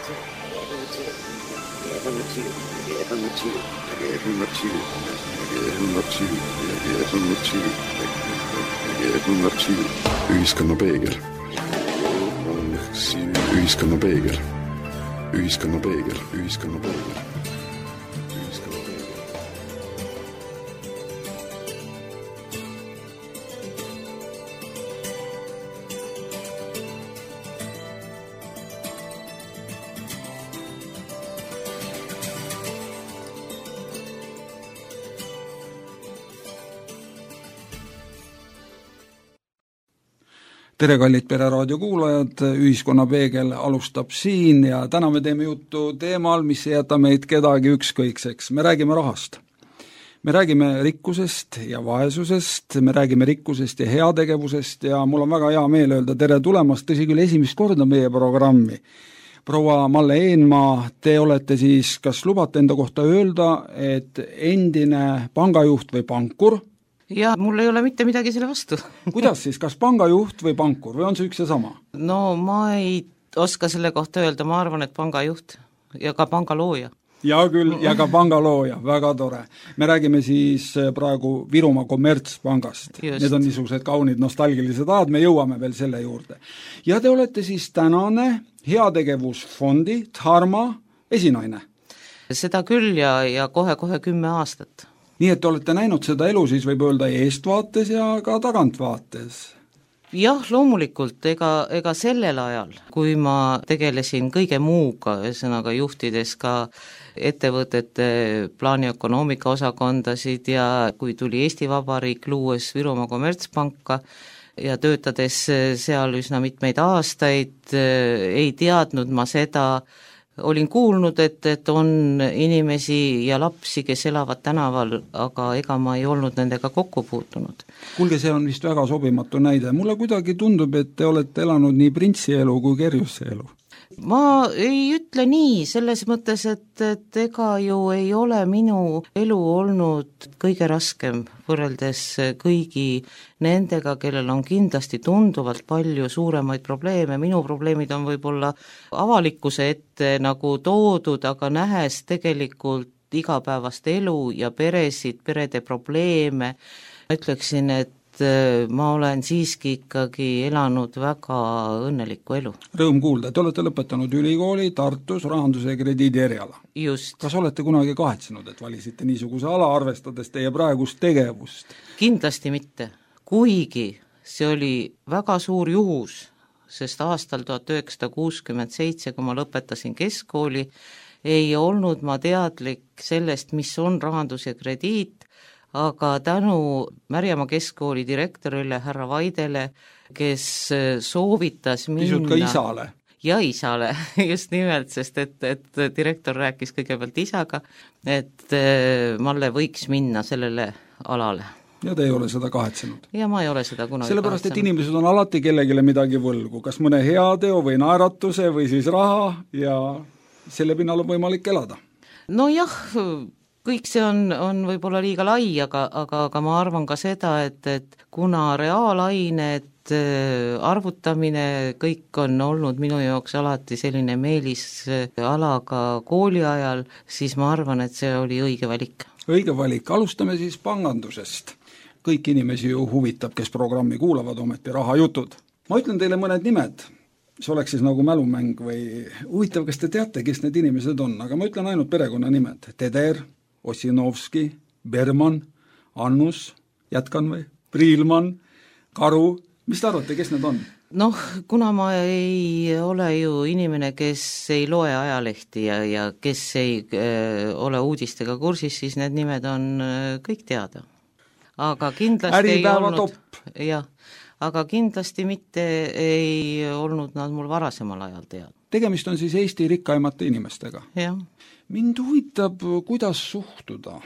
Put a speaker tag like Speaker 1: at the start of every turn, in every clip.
Speaker 1: Ühiskonna peegel. Ühiskonna peegel. Ühiskonna peegel. Ühiskonna peegel.
Speaker 2: Tere, kallid Pereraadio kuulajad, Ühiskonna peegel alustab siin ja täna me teeme juttu teemal, mis ei jäta meid kedagi ükskõikseks. Me räägime rahast. Me räägime rikkusest ja vaesusest, me räägime rikkusest ja heategevusest ja mul on väga hea meel öelda tere tulemast, tõsi küll esimest korda meie programmi. Proua Malle Eenmaa, te olete siis, kas lubate enda kohta öelda, et endine pangajuht või pankur?
Speaker 3: Ja mul ei ole mitte midagi selle vastu.
Speaker 2: Kuidas siis, kas pangajuht või pankur või on see üks ja sama?
Speaker 3: No ma ei oska selle kohta öelda, ma arvan, et pangajuht ja ka pangalooja.
Speaker 2: Ja küll, ja ka pangalooja, väga tore. Me räägime siis praegu Virumaa Kommertspangast.
Speaker 3: Just.
Speaker 2: Need on niisugused kaunid nostalgilised ajad, me jõuame veel selle juurde. Ja te olete siis tänane heategevusfondi Dharma esinaine.
Speaker 3: Seda küll ja kohe 10 aastat.
Speaker 2: Nii et te olete näinud seda elu siis võib öelda eestvaates ja ka tagantvaates.
Speaker 3: Jah, loomulikult, ega sellel ajal, kui ma tegelesin kõige muuga, ühesõnaga juhtides ka ettevõtete plaaniökonoomika osakondasid ja kui tuli Eesti Vabariik luues Virumaa Kommertspanka ja töötades seal üsna mitmeid aastaid, ei teadnud ma seda, olin kuulnud, et on inimesi ja lapsi, kes elavad tänaval, aga ega ma ei olnud nendega kokku puutunud.
Speaker 2: Kuulge, see on vist väga sobimatu näide. Mulle kuidagi tundub, et te olete elanud nii printsi elu kui kerjuse elu.
Speaker 3: Ma ei ütle nii, selles mõttes, et ega ju ei ole minu elu olnud kõige raskem võrreldes kõigi nendega, kellel on kindlasti tunduvalt palju suuremaid probleeme. Minu probleemid on võib-olla avalikkuse ette nagu toodud, aga nähes tegelikult igapäevast elu ja peresid, perede probleeme, ütleksin, et ma olen siiski ikkagi elanud väga õnnelikku elu.
Speaker 2: Rõõm kuulda, te olete lõpetanud ülikooli Tartus rahanduse ja krediidi eriala.
Speaker 3: Just.
Speaker 2: Kas olete kunagi kahetsenud, et valisite niisuguse ala, arvestades teie praegust tegevust?
Speaker 3: Kindlasti mitte, kuigi see oli väga suur juhus, sest aastal 1967, kui ma lõpetasin keskkooli, ei olnud ma teadlik sellest, mis on rahandus ja krediit, aga tänu Märjamaa keskkooli direktorile härra Vaidele, kes soovitas minna...
Speaker 2: Pisut ka isale.
Speaker 3: Ja isale, just nimelt, sest et direktor rääkis kõigepealt isaga, et Malle võiks minna sellele alale.
Speaker 2: Ja te ei ole seda kahetsenud?
Speaker 3: Ja ma ei ole seda kunagi
Speaker 2: sellepärast, et inimesed on alati kellegile midagi võlgu, kas mõne heateo või naeratuse või siis raha ja selle pinnal on võimalik elada.
Speaker 3: No jah, kõik see on võib-olla liiga lai, aga ma arvan ka seda, et kuna reaalained, arvutamine, kõik on olnud minu jaoks alati selline meelisala ka kooli ajal, siis ma arvan, et see oli õige valik.
Speaker 2: Õige valik. Alustame siis pangandusest. Kõik inimesi ju huvitab, kes programmi kuulavad ometi rahajutud. Ma ütlen teile mõned nimed. See oleks siis nagu mälumäng või huvitav, kas te teate, kes need inimesed on, aga ma ütlen ainult perekonna nimed. Teder, Ossinovski, Berman, Annus, jätkan või? Priilman, Karu, mis te arvate, kes need on?
Speaker 3: Noh, kuna ma ei ole ju inimene, kes ei loe ajalehti ja kes ei ole uudistega kursis, siis need nimed on kõik teada. Aga kindlasti
Speaker 2: Äripäeva
Speaker 3: ei olnud,
Speaker 2: top.
Speaker 3: Jah, aga kindlasti mitte ei olnud nad mul varasemal ajal teada.
Speaker 2: Tegemist on siis Eesti rikkaimate inimestega.
Speaker 3: Jah.
Speaker 2: Mind huvitab, kuidas suhtuda.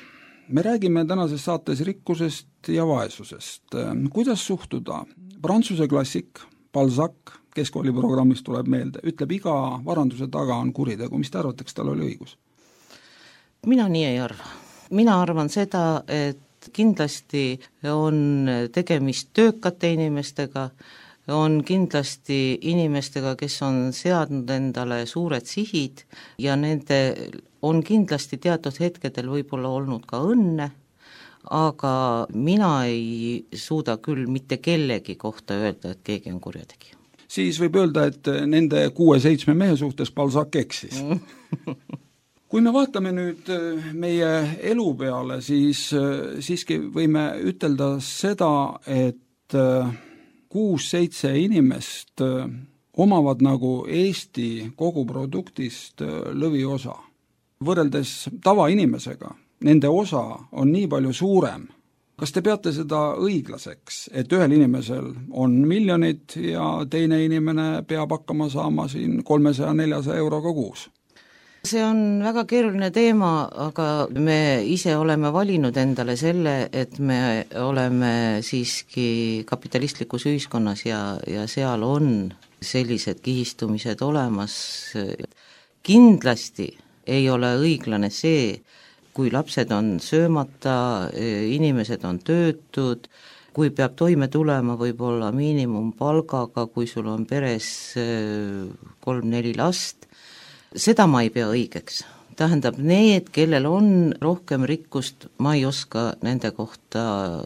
Speaker 2: Me räägime tänases saates rikkusest ja vaesusest. Kuidas suhtuda? Prantsuse klassik Balzac, keskkooliprogrammist tuleb meelde, ütleb, iga varanduse taga on kuritegu. Mis te arvate, kas tal oli õigus?
Speaker 3: Mina nii ei arva. Mina arvan seda, et kindlasti on tegemist töökate inimestega, on kindlasti inimestega, kes on seadnud endale suured sihid ja nende on kindlasti teatud hetkedel võib-olla olnud ka õnne, aga mina ei suuda küll mitte kellegi kohta öelda, et keegi on kurjategija.
Speaker 2: Siis võib öelda, et nende 6-7 mehe suhtes Balzac eksis. Kui me vaatame nüüd meie elu peale, siis siiski võime ütelda seda, et 6-7 inimest omavad nagu Eesti koguproduktist lõviosa. Võrreldes tavainimesega, nende osa on nii palju suurem. Kas te peate seda õiglaseks, et ühel inimesel on miljonid ja teine inimene peab hakkama saama siin 300-400 euroga kuus?
Speaker 3: See on väga keeruline teema, aga me ise oleme valinud endale selle, et me oleme siiski kapitalistlikus ühiskonnas ja seal on sellised kihistumised olemas. Kindlasti ei ole õiglane see, kui lapsed on söömata, inimesed on töötud, kui peab toime tulema võib-olla miinimumpalgaga, kui sul on peres 3-4 last, seda ma ei pea õigeks. Tähendab, need, kellel on rohkem rikkust, ma ei oska nende kohta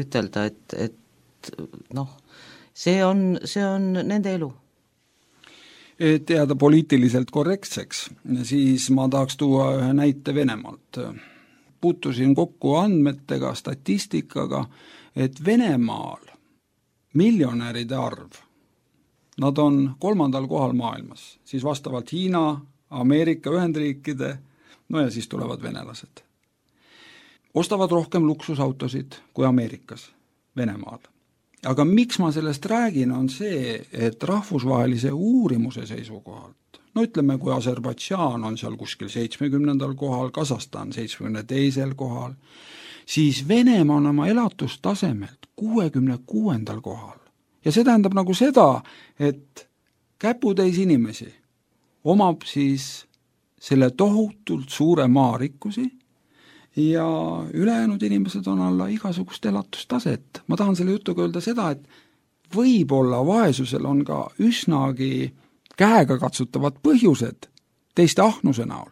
Speaker 3: ütelda, et see on nende elu.
Speaker 2: Et jääda poliitiliselt korrektseks, siis ma tahaks tuua ühe näite Venemaalt. Puutusin kokku andmetega, statistikaga, et Venemaal miljonäride arv, nad on 3. kohal maailmas, siis vastavalt Hiina, Ameerika Ühendriikide, ja siis tulevad venelased. Ostavad rohkem luksusautosid kui Ameerikas, Venemaal. Aga miks ma sellest räägin, on see, et rahvusvahelise uurimuse seisukohalt, ütleme, kui Aserbaidžaan on seal kuskil 70. kohal, Kasahstan 72. kohal, siis Venemaa on oma elatustasemelt 66. kohal. Ja see tähendab nagu seda, et käputäis inimesi omab siis selle tohutult suure maarikkusi ja ülejäänud inimesed on alla igasugust elatustaset. Ma tahan selle jutuga öelda seda, et võib-olla vaesusel on ka üsnagi käega katsutavad põhjused teiste ahnuse näol.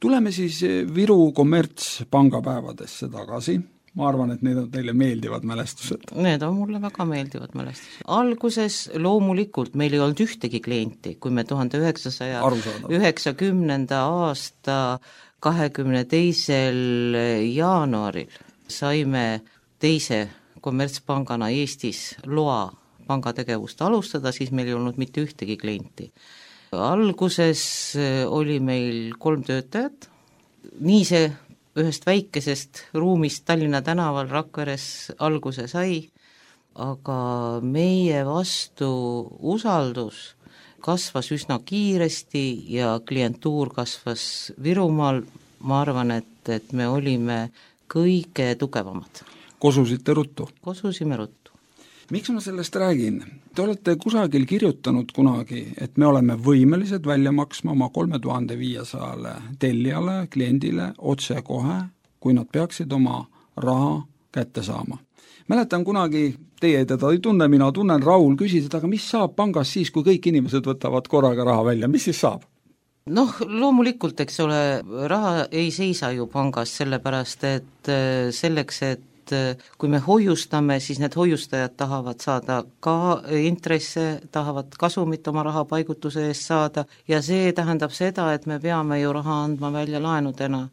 Speaker 2: Tuleme siis Viru kommertspangapäevadesse tagasi. Ma arvan, et need on teile meeldivad mälestused.
Speaker 3: Need on mulle väga meeldivad mälestused. Alguses loomulikult meil ei olnud ühtegi klienti, kui me 1990. aasta 22. jaanuaril saime teise kommertspangana Eestis loa pangategevust alustada, siis meil ei olnud mitte ühtegi klienti. Alguses oli meil 3 töötajat, nii see ühest väikesest ruumist Tallinna tänaval Rakveres alguse sai, aga meie vastu usaldus kasvas üsna kiiresti ja klientuur kasvas Virumaal. Ma arvan, et me olime kõige tugevamad.
Speaker 2: Kosusite ruttu?
Speaker 3: Kosusime ruttu.
Speaker 2: Miks ma sellest räägin? Te olete kusagil kirjutanud kunagi, et me oleme võimelised välja maksma oma 3500 tellijale, kliendile otse kohe, kui nad peaksid oma raha kätte saama. Mäletan kunagi, teie teda ei tunne, mina tunnen, Raul küsis, aga mis saab pangas siis, kui kõik inimesed võtavad korraga raha välja, mis siis saab?
Speaker 3: Loomulikult, eks ole, raha ei seisa ju pangas, sellepärast et selleks, et kui me hoiustame, siis need hoiustajad tahavad saada ka intresse, tahavad kasumit oma rahapaigutuse eest saada ja see tähendab seda, et me peame ju raha andma välja laenudena.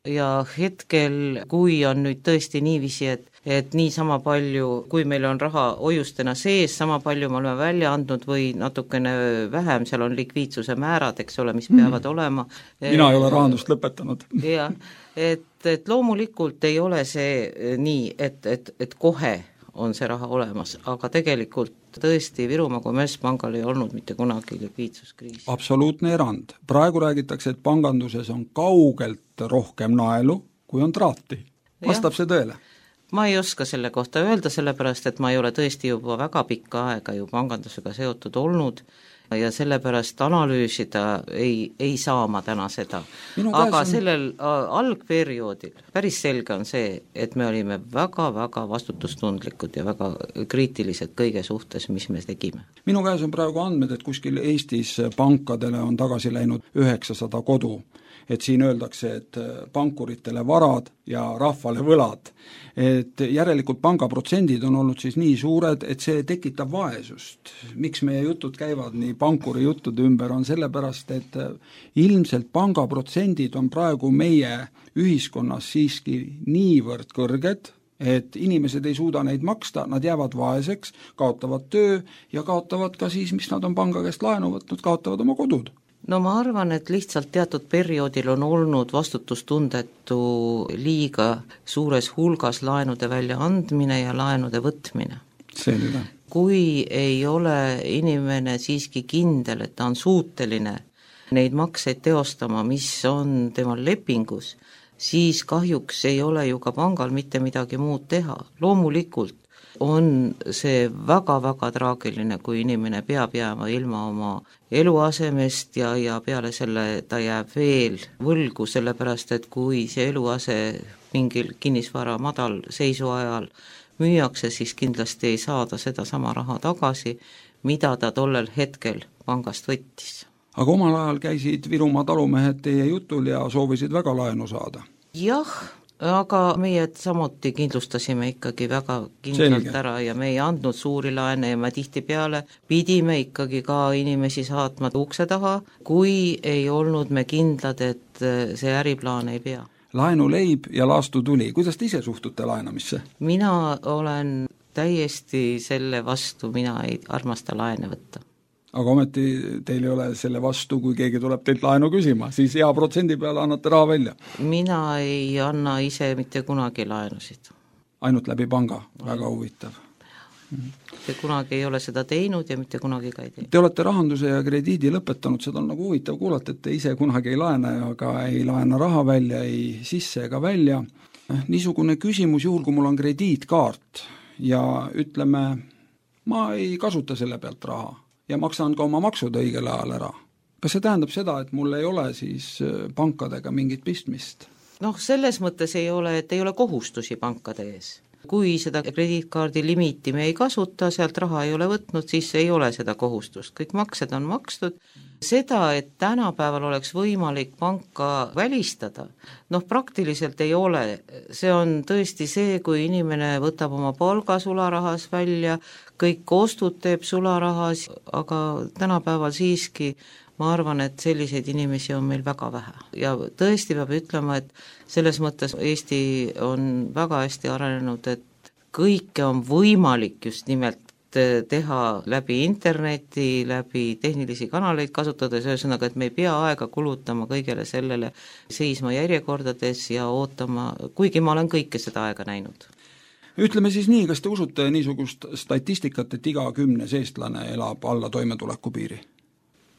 Speaker 3: Ja hetkel, kui on nüüd tõesti niiviisi, et nii sama palju, kui meil on raha hoiustena sees, sama palju me oleme välja andnud või natukene vähem, seal on likviidsuse määrad, eks ole, mis peavad olema.
Speaker 2: Mina ei ole rahandust lõpetanud.
Speaker 3: Jah, et loomulikult ei ole see nii, et kohe on see raha olemas, aga tegelikult tõesti Virumaa kommertspangal ei olnud mitte kunagi likviidsuskriisi.
Speaker 2: Absoluutne erand. Praegu räägitakse, et panganduses on kaugelt rohkem naelu, kui on traati. Vastab see tõele?
Speaker 3: Ma ei oska selle kohta öelda, sellepärast et ma ei ole tõesti juba väga pikka aega ju pangandusega seotud olnud ja sellepärast analüüsida ei saa ma täna seda. Aga sellel algperioodil päris selge on see, et me olime väga-väga vastutustundlikud ja väga kriitilised kõige suhtes, mis me tegime.
Speaker 2: Minu käes on praegu andmed, et kuskil Eestis pankadele on tagasi läinud 900 kodu. Et siin öeldakse, et pankuritele varad ja rahvale võlad. Et järelikult pangaprotsendid on olnud siis nii suured, et see tekitab vaesust. Miks meie jutud käivad nii pankuri juttude ümber, on sellepärast, et ilmselt pangaprotsendid on praegu meie ühiskonnas siiski niivõrd kõrged, et inimesed ei suuda neid maksta, nad jäävad vaeseks, kaotavad töö ja kaotavad ka siis, mis nad on panga käest laenu võtnud, kaotavad oma kodud.
Speaker 3: No ma arvan, et lihtsalt teatud perioodil on olnud vastutustundetu liiga suures hulgas laenude väljaandmine ja laenude võtmine.
Speaker 2: Selline.
Speaker 3: Kui ei ole inimene siiski kindel, et ta on suuteline neid makseid teostama, mis on temal lepingus, siis kahjuks ei ole ju ka pangal mitte midagi muud teha. Loomulikult on see väga-väga traagiline, kui inimene peab jääma ilma oma eluasemest ja peale selle ta jääb veel võlgu, sellepärast et kui see eluase mingil kinnisvara madal seisu ajal müüakse, siis kindlasti ei saada seda sama raha tagasi, mida ta tollel hetkel pangast võttis.
Speaker 2: Aga omal ajal käisid Virumaa talumehed teie jutul ja soovisid väga laenu saada?
Speaker 3: Jah, aga meie samuti kindlustasime ikkagi väga kindlalt ära ja me ei andnud suuri laene ja me tihtipeale pidime ikkagi ka inimesi saatma ukse taha, kui ei olnud me kindlad, et see äriplaan ei pea.
Speaker 2: Laenu leib ja laastu tuli. Kuidas te ise suhtute laenamisse?
Speaker 3: Mina olen täiesti selle vastu, mina ei armasta laene võtta.
Speaker 2: Aga ometi teil ei ole selle vastu, kui keegi tuleb teilt laenu küsima, siis hea protsendi peale annate raha välja.
Speaker 3: Mina ei anna ise mitte kunagi laenusid.
Speaker 2: Ainult läbi panga, väga huvitav.
Speaker 3: Te kunagi ei ole seda teinud ja mitte kunagi ka ei tee.
Speaker 2: Te olete rahanduse ja krediidi lõpetanud, seda on nagu huvitav kuulata, et te ise kunagi ei laena, aga ei laena raha välja, ei sisse ega välja. Niisugune küsimus juhul, kui mul on krediitkaart ja ütleme, ma ei kasuta selle pealt raha ja maksan ka oma maksud õigel ajal ära. Kas see tähendab seda, et mul ei ole siis pankadega mingit pistmist?
Speaker 3: Selles mõttes ei ole, et ei ole kohustusi pankade ees. Kui seda krediitkaardi limiiti me ei kasuta, sealt raha ei ole võtnud, siis ei ole seda kohustust. Kõik maksed on makstud. Seda, et tänapäeval oleks võimalik panka välistada, praktiliselt ei ole. See on tõesti see, kui inimene võtab oma palga sularahas välja, kõik ostud teeb sularahas, aga tänapäeval siiski ma arvan, et selliseid inimesi on meil väga vähe. Ja tõesti peab ütlema, et selles mõttes Eesti on väga hästi arenenud, et kõike on võimalik just nimelt teha läbi interneti, läbi tehnilisi kanaleid kasutades, ühesõnaga, et me ei pea aega kulutama kõigele sellele, seisma järjekordades ja ootama, kuigi ma olen kõike seda aega näinud.
Speaker 2: Ütleme siis nii, kas te usute niisugust statistikat, et iga 10 eestlane elab alla toimetuleku piiri?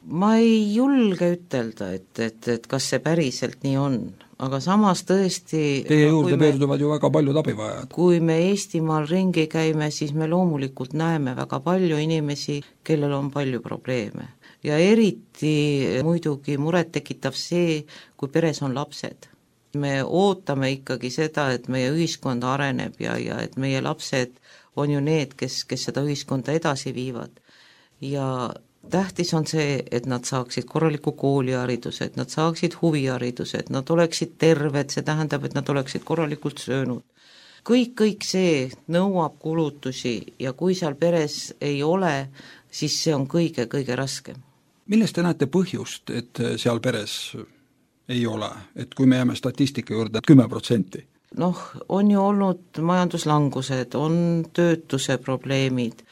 Speaker 3: Ma ei julge ütelda, et kas see päriselt nii on, aga samas tõesti
Speaker 2: teie juurde pöörduvad ju väga paljud abivajad.
Speaker 3: Kui me Eestimaal ringi käime, siis me loomulikult näeme väga palju inimesi, kellel on palju probleeme. Ja eriti muidugi muret tekitav see, kui peres on lapsed. Me ootame ikkagi seda, et meie ühiskond areneb ja et meie lapsed on ju need, kes seda ühiskonda edasi viivad. Ja tähtis on see, et nad saaksid korraliku koolihariduse, et nad saaksid huvihariduse, et nad oleksid terved, see tähendab, et nad oleksid korralikult söönud. Kõik see nõuab kulutusi ja kui seal peres ei ole, siis see on kõige raskem.
Speaker 2: Millest te näete põhjust, et seal peres ei ole, et kui me jääme statistika juurde 10%?
Speaker 3: On ju olnud majanduslangused, on töötuse probleemid,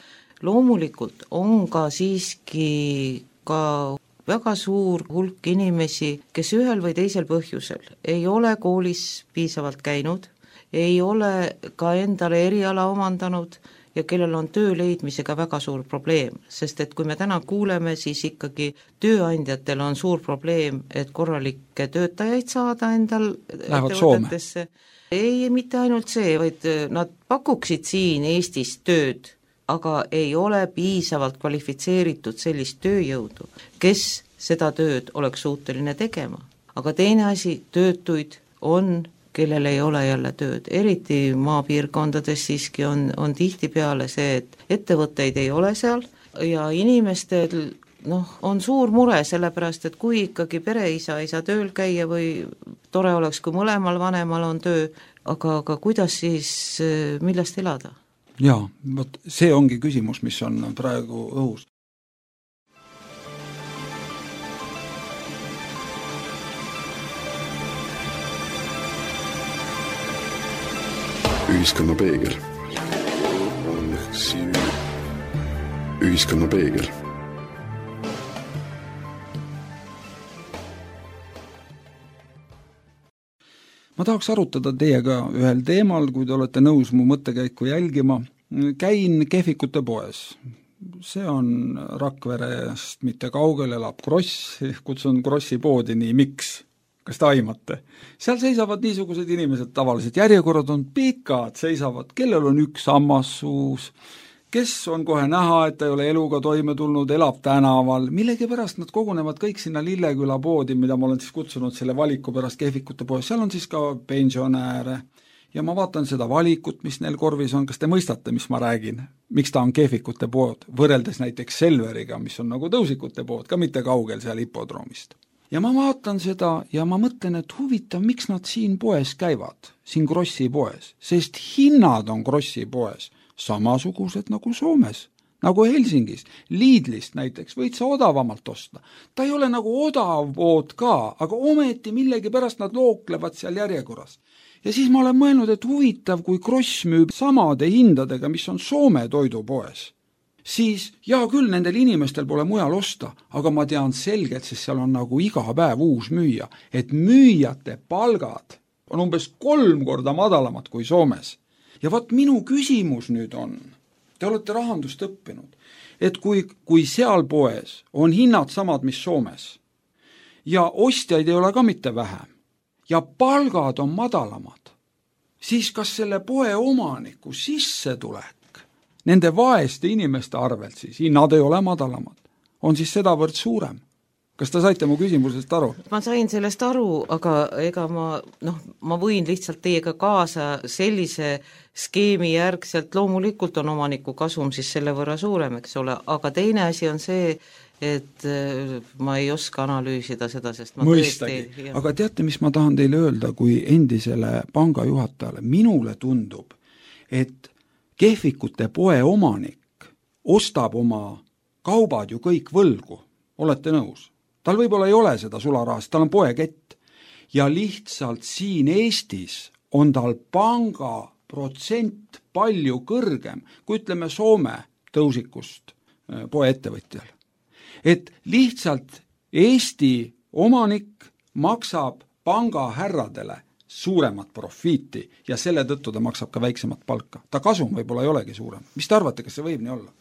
Speaker 3: loomulikult on ka siiski ka väga suur hulk inimesi, kes ühel või teisel põhjusel ei ole koolis piisavalt käinud, ei ole ka endale eriala omandanud ja kellel on töö leidmisega väga suur probleem, sest et kui me täna kuuleme, siis ikkagi tööandjatel on suur probleem, et korralikke töötajaid saada endal
Speaker 2: lähevad Soome.
Speaker 3: Ei, mitte ainult see, vaid nad pakuksid siin Eestis tööd, aga ei ole piisavalt kvalifitseeritud sellist tööjõudu, kes seda tööd oleks suuteline tegema. Aga teine asi, töötuid on, kellel ei ole jälle tööd, eriti maapiirkondades siiski on tihtipeale see, et ettevõtteid ei ole seal ja inimestel on suur mure, sellepärast et kui ikkagi pereisa ei saa tööl käia või tore oleks, kui mõlemal vanemal on töö, aga kuidas siis, millest elada?
Speaker 2: Jaa, vot see ongi küsimus, mis on praegu õhus.
Speaker 1: Ühiskonna peegel. Ühiskonna peegel.
Speaker 2: Ma tahaks arutada teiega ühel teemal, kui te olete nõus mu mõttekäiku jälgima. Käin Kehvikute poes. See on Rakverest mitte kaugel, elab Kross, kutsun Krossi poodi nii, miks? Kas te aimate? Seal seisavad niisugused inimesed tavaliselt, järjekorrad on pikad, seisavad, kellel on üks sammas suus, kes on kohe näha, et ta ei ole eluga toime tulnud, elab tänaval, millegipärast nad kogunevad kõik sinna Lilleküla poodi, mida ma olen siis kutsunud selle valiku pärast Kehvikute poes, seal on siis ka pensionääre ja ma vaatan seda valikut, mis neil korvis on, kas te mõistate, mis ma räägin, miks ta on Kehvikute pood, võrreldes näiteks Selveriga, mis on nagu Tõusikute pood, ka mitte kaugel seal hipodroomist. Ja ma vaatan seda ja ma mõtlen, et huvitav, miks nad siin poes käivad, siin Krossi poes, sest hinnad on Krossi poes samasugused nagu Soomes, nagu Helsingis, Lidlist näiteks, võid sa odavamalt osta. Ta ei ole nagu odav pood ka, aga ometi millegi pärast nad looklevad seal järjekorras. Ja siis ma olen mõelnud, et huvitav, kui Kross müüb samade hindadega, mis on Soome toidupoes, siis jaa küll, nendel inimestel pole mujal osta, aga ma tean selgelt, sest seal on nagu iga päev uus müüja, et müüjate palgad on umbes 3 korda madalamad kui Soomes. Ja vaat minu küsimus nüüd on, te olete rahandust õppinud, et kui seal poes on hinnad samad, mis Soomes, ja ostjaid ei ole ka mitte vähem, ja palgad on madalamad, siis kas selle poe omaniku sissetulek nende vaeste inimeste arvelt siis, hinnad ei ole madalamad, on siis sedavõrd suurem? Kas te saite mu küsimusest aru?
Speaker 3: Ma sain sellest aru, aga ega ma võin lihtsalt teiega kaasa sellise skeemi järgselt, loomulikult on omaniku kasum siis selle võrra suurem, eks ole, aga teine asi on see, et ma ei oska analüüsida seda, sest ma
Speaker 2: mõistagi, aga teate, mis ma tahan teile öelda, kui endisele pangajuhatajale, minule tundub, et Kehvikute poe omanik ostab oma kaubad ju kõik võlgu, olete nõus? Tal võib-olla ei ole seda sularahast, tal on poekett ja lihtsalt siin Eestis on tal panga protsent palju kõrgem, kui ütleme Soome Tõusikust poeettevõtjal. Et lihtsalt Eesti omanik maksab pangahärradele suuremat profiiti ja selle tõttu ta maksab ka väiksemat palka. Ta kasum võib-olla ei olegi suurem. Mis te arvate, kas see võib nii olla?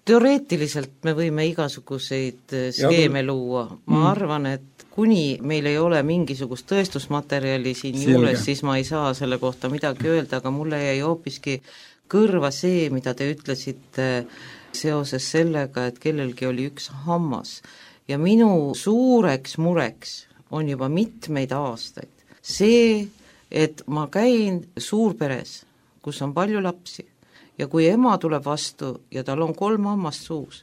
Speaker 3: Teoreetiliselt me võime igasuguseid skeeme luua. Ma arvan, et kuni meil ei ole mingisugust tõestusmaterjali siin juures, siis ma ei saa selle kohta midagi öelda, aga mulle jäi hoopiski kõrva see, mida te ütlesite seoses sellega, et kellelgi oli üks hammas. Ja minu suureks mureks on juba mitmeid aastaid see, et ma käin suurperes, kus on palju lapsi, ja kui ema tuleb vastu ja tal on 3 hammast suus,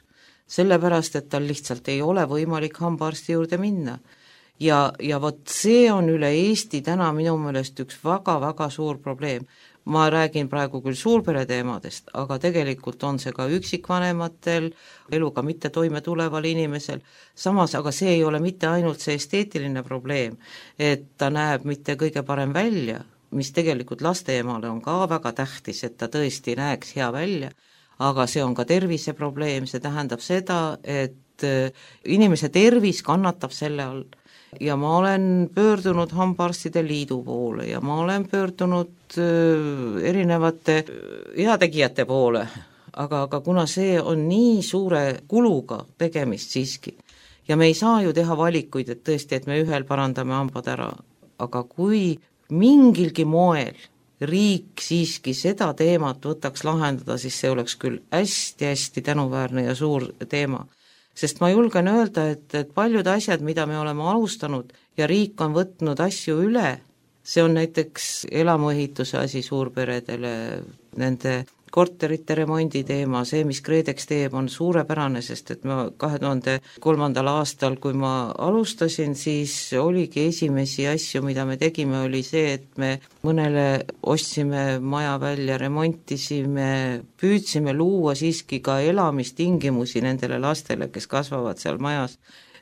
Speaker 3: sellepärast, et tal lihtsalt ei ole võimalik hambaarsti juurde minna. Ja vot see on üle Eesti täna minu meelest üks väga-väga suur probleem. Ma räägin praegu küll suurpere teemadest, aga tegelikult on see ka üksikvanematel, eluga mitte toime tuleval inimesel. Samas, aga see ei ole mitte ainult see esteetiline probleem, et ta näeb mitte kõige parem välja, mis tegelikult lasteemale on ka väga tähtis, et ta tõesti näeks hea välja, aga see on ka terviseprobleem, see tähendab seda, et inimese tervis kannatab selle all. Ja ma olen pöördunud hambaarstide liidu poole ja ma olen pöördunud erinevate heategijate poole, aga kuna see on nii suure kuluga tegemist siiski ja me ei saa ju teha valikuid, et tõesti, et me ühel parandame hambad ära, aga kui mingilgi moel riik siiski seda teemat võtaks lahendada, siis see oleks küll hästi-hästi tänuväärne ja suur teema. Sest ma julgen öelda, et paljud asjad, mida me oleme alustanud ja riik on võtnud asju üle, see on näiteks elamuehituse asi suurperedele, nende korterite remondi teema, see, mis KredEx teeb, on suurepärane, sest et ma 2003. aastal, kui ma alustasin, siis oligi esimesi asju, mida me tegime, oli see, et me mõnele ostsime maja välja, remontisime, püüdsime luua siiski ka elamistingimusi nendele lastele, kes kasvavad seal majas.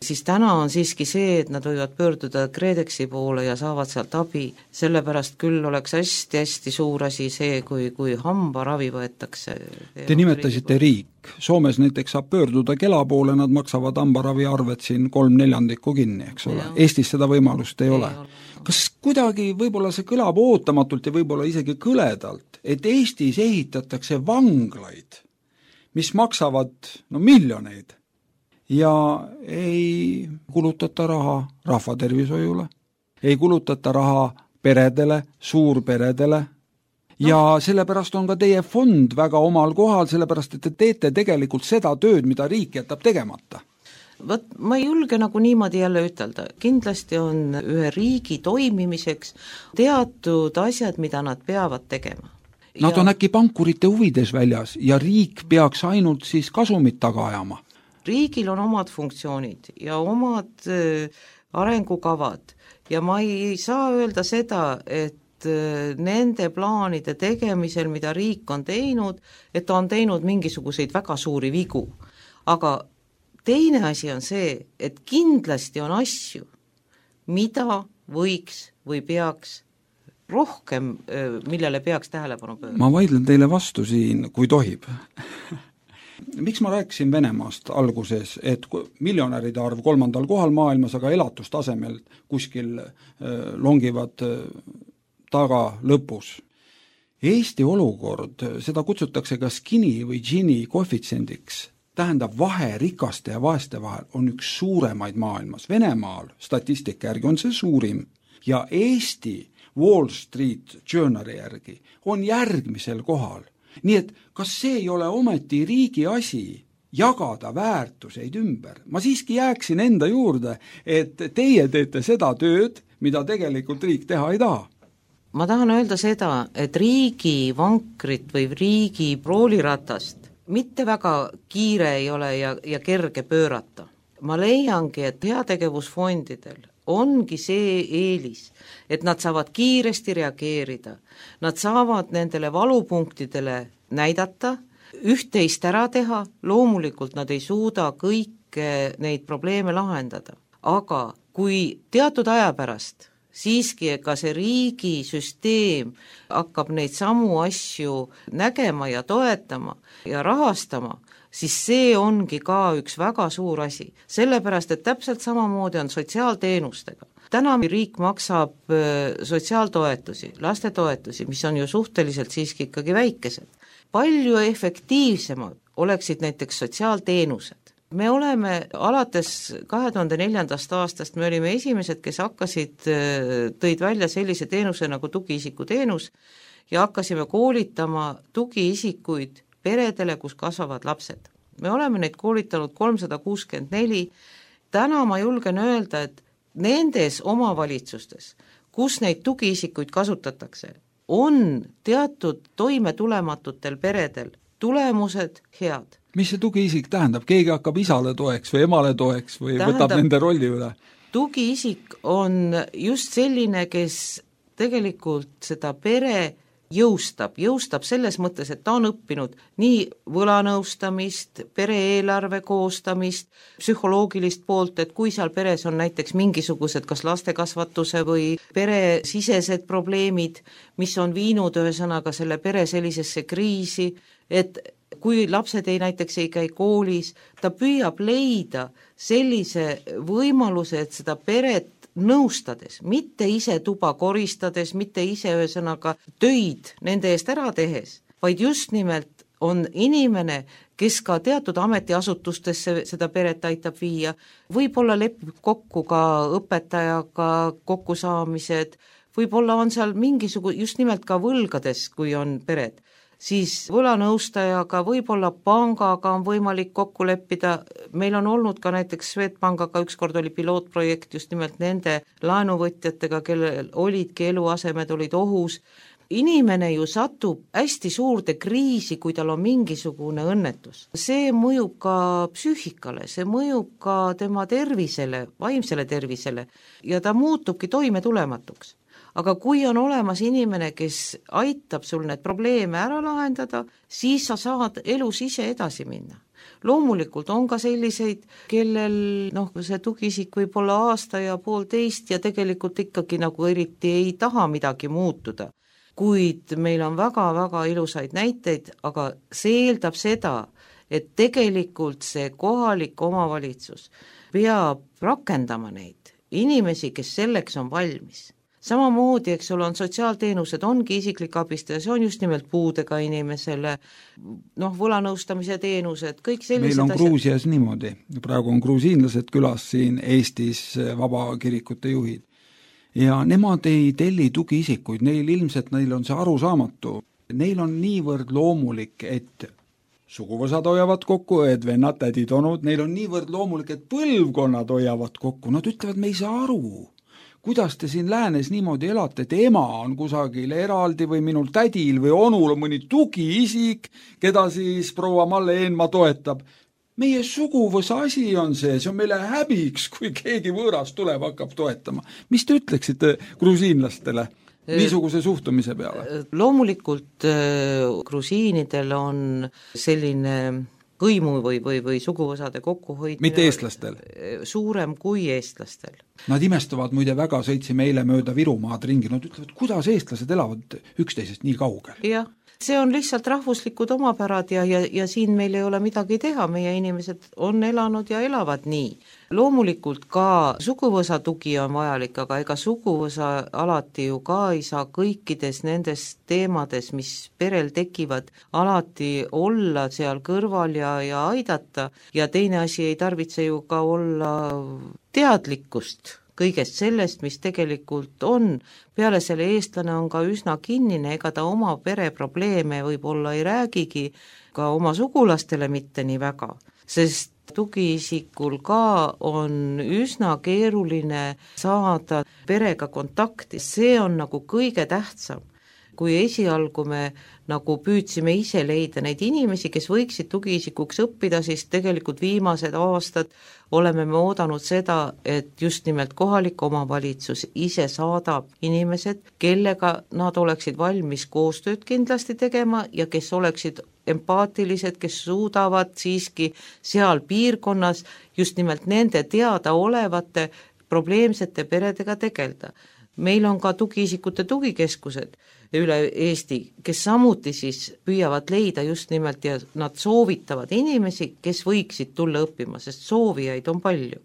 Speaker 3: Siis täna on siiski see, et nad võivad pöörduda KredExi poole ja saavad sealt abi, sellepärast küll oleks hästi-hästi suur asi see, kui hambaravi võetakse.
Speaker 2: Te nimetasite riik. Soomes näiteks saab pöörduda Kela poole, nad maksavad hambaravi arvet siin 3/4 kinni, eks ole. Eestis seda võimalust ei ole. Kas kuidagi võib-olla see kõlab ootamatult ja võib-olla isegi kõledalt, et Eestis ehitatakse vanglaid, mis maksavad miljoneid, ja ei kulutata raha rahvatervishoiule, ei kulutata raha peredele, suurperedele ja sellepärast on ka teie fond väga omal kohal, sellepärast et te teete tegelikult seda tööd, mida riik jätab tegemata.
Speaker 3: Ma ei julge nagu niimoodi jälle ütelda, kindlasti on ühe riigi toimimiseks teatud asjad, mida nad peavad tegema.
Speaker 2: Nad on äkki pankurite huvides väljas ja riik peaks ainult siis kasumit taga ajama.
Speaker 3: Riigil on omad funktsioonid ja omad arengukavad ja ma ei saa öelda seda, et nende plaanide tegemisel, mida riik on teinud, et ta on teinud mingisuguseid väga suuri vigu. Aga teine asi on see, et kindlasti on asju, mida võiks või peaks rohkem, millele peaks tähelepanu pöörama.
Speaker 2: Ma vaidlen teile vastu siin, kui tohib. Miks ma rääkisin Venemaast alguses, et miljonäride arv 3. kohal maailmas, aga elatustasemel kuskil longivad taga lõpus. Eesti olukord, seda kutsutakse ka Gini või Gini koefitsiendiks, tähendab vahe rikaste ja vaeste vahel on üks suuremaid maailmas. Venemaal statistika järgi on see suurim ja Eesti Wall Street Journali järgi on järgmisel kohal. Nii et kas see ei ole ometi riigi asi jagada väärtuseid ümber? Ma siiski jääksin enda juurde, et teie teete seda tööd, mida tegelikult riik teha ei taha.
Speaker 3: Ma tahan öelda seda, et riigi vankrit või riigi prooliratast mitte väga kiire ei ole ja kerge pöörata. Ma leiangi, et heategevusfondidel ongi see eelis, et nad saavad kiiresti reageerida, nad saavad nendele valupunktidele näidata, üht-teist ära teha, loomulikult nad ei suuda kõike neid probleeme lahendada, aga kui teatud aja pärast siiski ka see riigisüsteem hakkab neid samu asju nägema ja toetama ja rahastama, siis see ongi ka üks väga suur asi, sellepärast et täpselt samamoodi on sotsiaalteenustega. Täna riik maksab sotsiaaltoetusi, lastetoetusi, mis on ju suhteliselt siiski ikkagi väikesed. Palju efektiivsemad oleksid näiteks sotsiaalteenused. Me oleme alates 2004. aastast, me olime esimesed, kes tõid välja sellise teenuse nagu tugiisikuteenus ja hakkasime koolitama tugiisikuid peredele, kus kasvavad lapsed. Me oleme neid koolitanud 364, täna ma julgen öelda, et nendes omavalitsustes, kus neid tugiisikuid kasutatakse, on teatud toimetulematutel peredel tulemused head.
Speaker 2: Mis see tugiisik tähendab? Keegi hakkab isale toeks või emale toeks või võtab nende rolli üle?
Speaker 3: Tugiisik on just selline, kes tegelikult seda pere jõustab selles mõttes, et ta on õppinud nii võlanõustamist, pere-eelarve koostamist, psühholoogilist poolt, et kui seal peres on näiteks mingisugused kas lastekasvatuse või peresisesed probleemid, mis on viinud ühesõnaga selle pere sellisesse kriisi, et kui lapsed näiteks ei käi koolis, ta püüab leida sellise võimaluse, et seda peret nõustades, mitte ise tuba koristades, mitte ise ühesõnaga töid nende eest ära tehes, vaid just nimelt on inimene, kes ka teatud ametiasutustesse seda peret aitab viia, võib-olla lepib kokku ka õpetajaga kokkusaamised, võib-olla on seal just nimelt ka võlgades, kui on pered, siis võlanõustajaga, võib-olla pangaga on võimalik kokku leppida, meil on olnud ka näiteks Swedbankaga, ükskord oli pilootprojekt just nimelt nende laenuvõtjatega, kellel olidki eluasemed, olid ohus. Inimene ju satub hästi suurde kriisi, kui tal on mingisugune õnnetus. See mõjub ka psüühikale, see mõjub ka tema tervisele, vaimsele tervisele ja ta muutubki toimetulematuks. Aga kui on olemas inimene, kes aitab sul need probleeme ära lahendada, siis sa saad elus ise edasi minna. Loomulikult on ka selliseid, kellel see tugiisik võib olla aasta ja poolteist ja tegelikult ikkagi nagu eriti ei taha midagi muutuda. Kuid meil on väga-väga ilusaid näiteid, aga see eeldab seda, et tegelikult see kohalik omavalitsus peab rakendama neid inimesi, kes selleks on valmis. Samamoodi, eks ole, on sotsiaalteenused, ongi isiklik abistaja, see on just nimelt puudega inimesele, võlanõustamise teenused, kõik sellised
Speaker 2: meil on asjad. Gruusias niimoodi, praegu on gruusiinlased külas siin Eestis vabakirikute juhid ja nemad ei telli tugiisikuid, neil on see arusaamatu, neil on niivõrd loomulik, et suguvõsad hoiavad kokku, õed, vennad, tädid, onud, neil on niivõrd loomulik, et põlvkonnad hoiavad kokku, nad ütlevad, me ei saa aru, kuidas te siin läänes niimoodi elate, et ema on kusagil eraldi või minul tädil või onul on mõni tugiisik, keda siis proua Malle Eenmaa toetab. Meie suguvõsa asi on see on meile häbiks, kui keegi võõras tuleb, hakkab toetama. Mis te ütleksite grusiinlastele niisuguse suhtumise peale?
Speaker 3: Loomulikult grusiinidel on selline hõimu või suguvõsade kokkuhoidmine
Speaker 2: mitte eestlastel?
Speaker 3: Suurem kui eestlastel.
Speaker 2: Nad imestavad muide väga, sõitsime eile mööda Virumaad ringi, nad ütlevad, kuidas eestlased elavad üksteisest nii kaugel?
Speaker 3: Jah, see on lihtsalt rahvuslikud omapärad ja siin meil ei ole midagi teha, meie inimesed on elanud ja elavad nii. Loomulikult ka suguvõsa tugi on vajalik, aga ega suguvõsa alati ju ka ei saa kõikides nendes teemades, mis perel tekivad, alati olla seal kõrval ja aidata ja teine asi ei tarvitse ju ka olla teadlikkust kõigest sellest, mis tegelikult on. Peale selle eestlane on ka üsna kinnine, ega ta oma pereprobleeme võib-olla ei räägigi, ka oma sugulastele mitte nii väga, sest tugiisikul ka on üsna keeruline saada perega kontakti, see on nagu kõige tähtsam. Kui esialgu me nagu püüdsime ise leida neid inimesi, kes võiksid tugiisikuks õppida, siis tegelikult viimased aastad oleme me oodanud seda, et just nimelt kohalik omavalitsus ise saadab inimesed, kellega nad oleksid valmis koostööd kindlasti tegema ja kes oleksid empaatilised, kes suudavad siiski seal piirkonnas just nimelt nende teadaolevate probleemsete peredega tegeleda. Meil on ka tugiisikute tugikeskused üle Eesti, kes samuti siis püüavad leida just nimelt ja nad soovitavad inimesi, kes võiksid tulla õppima, sest soovijaid on palju.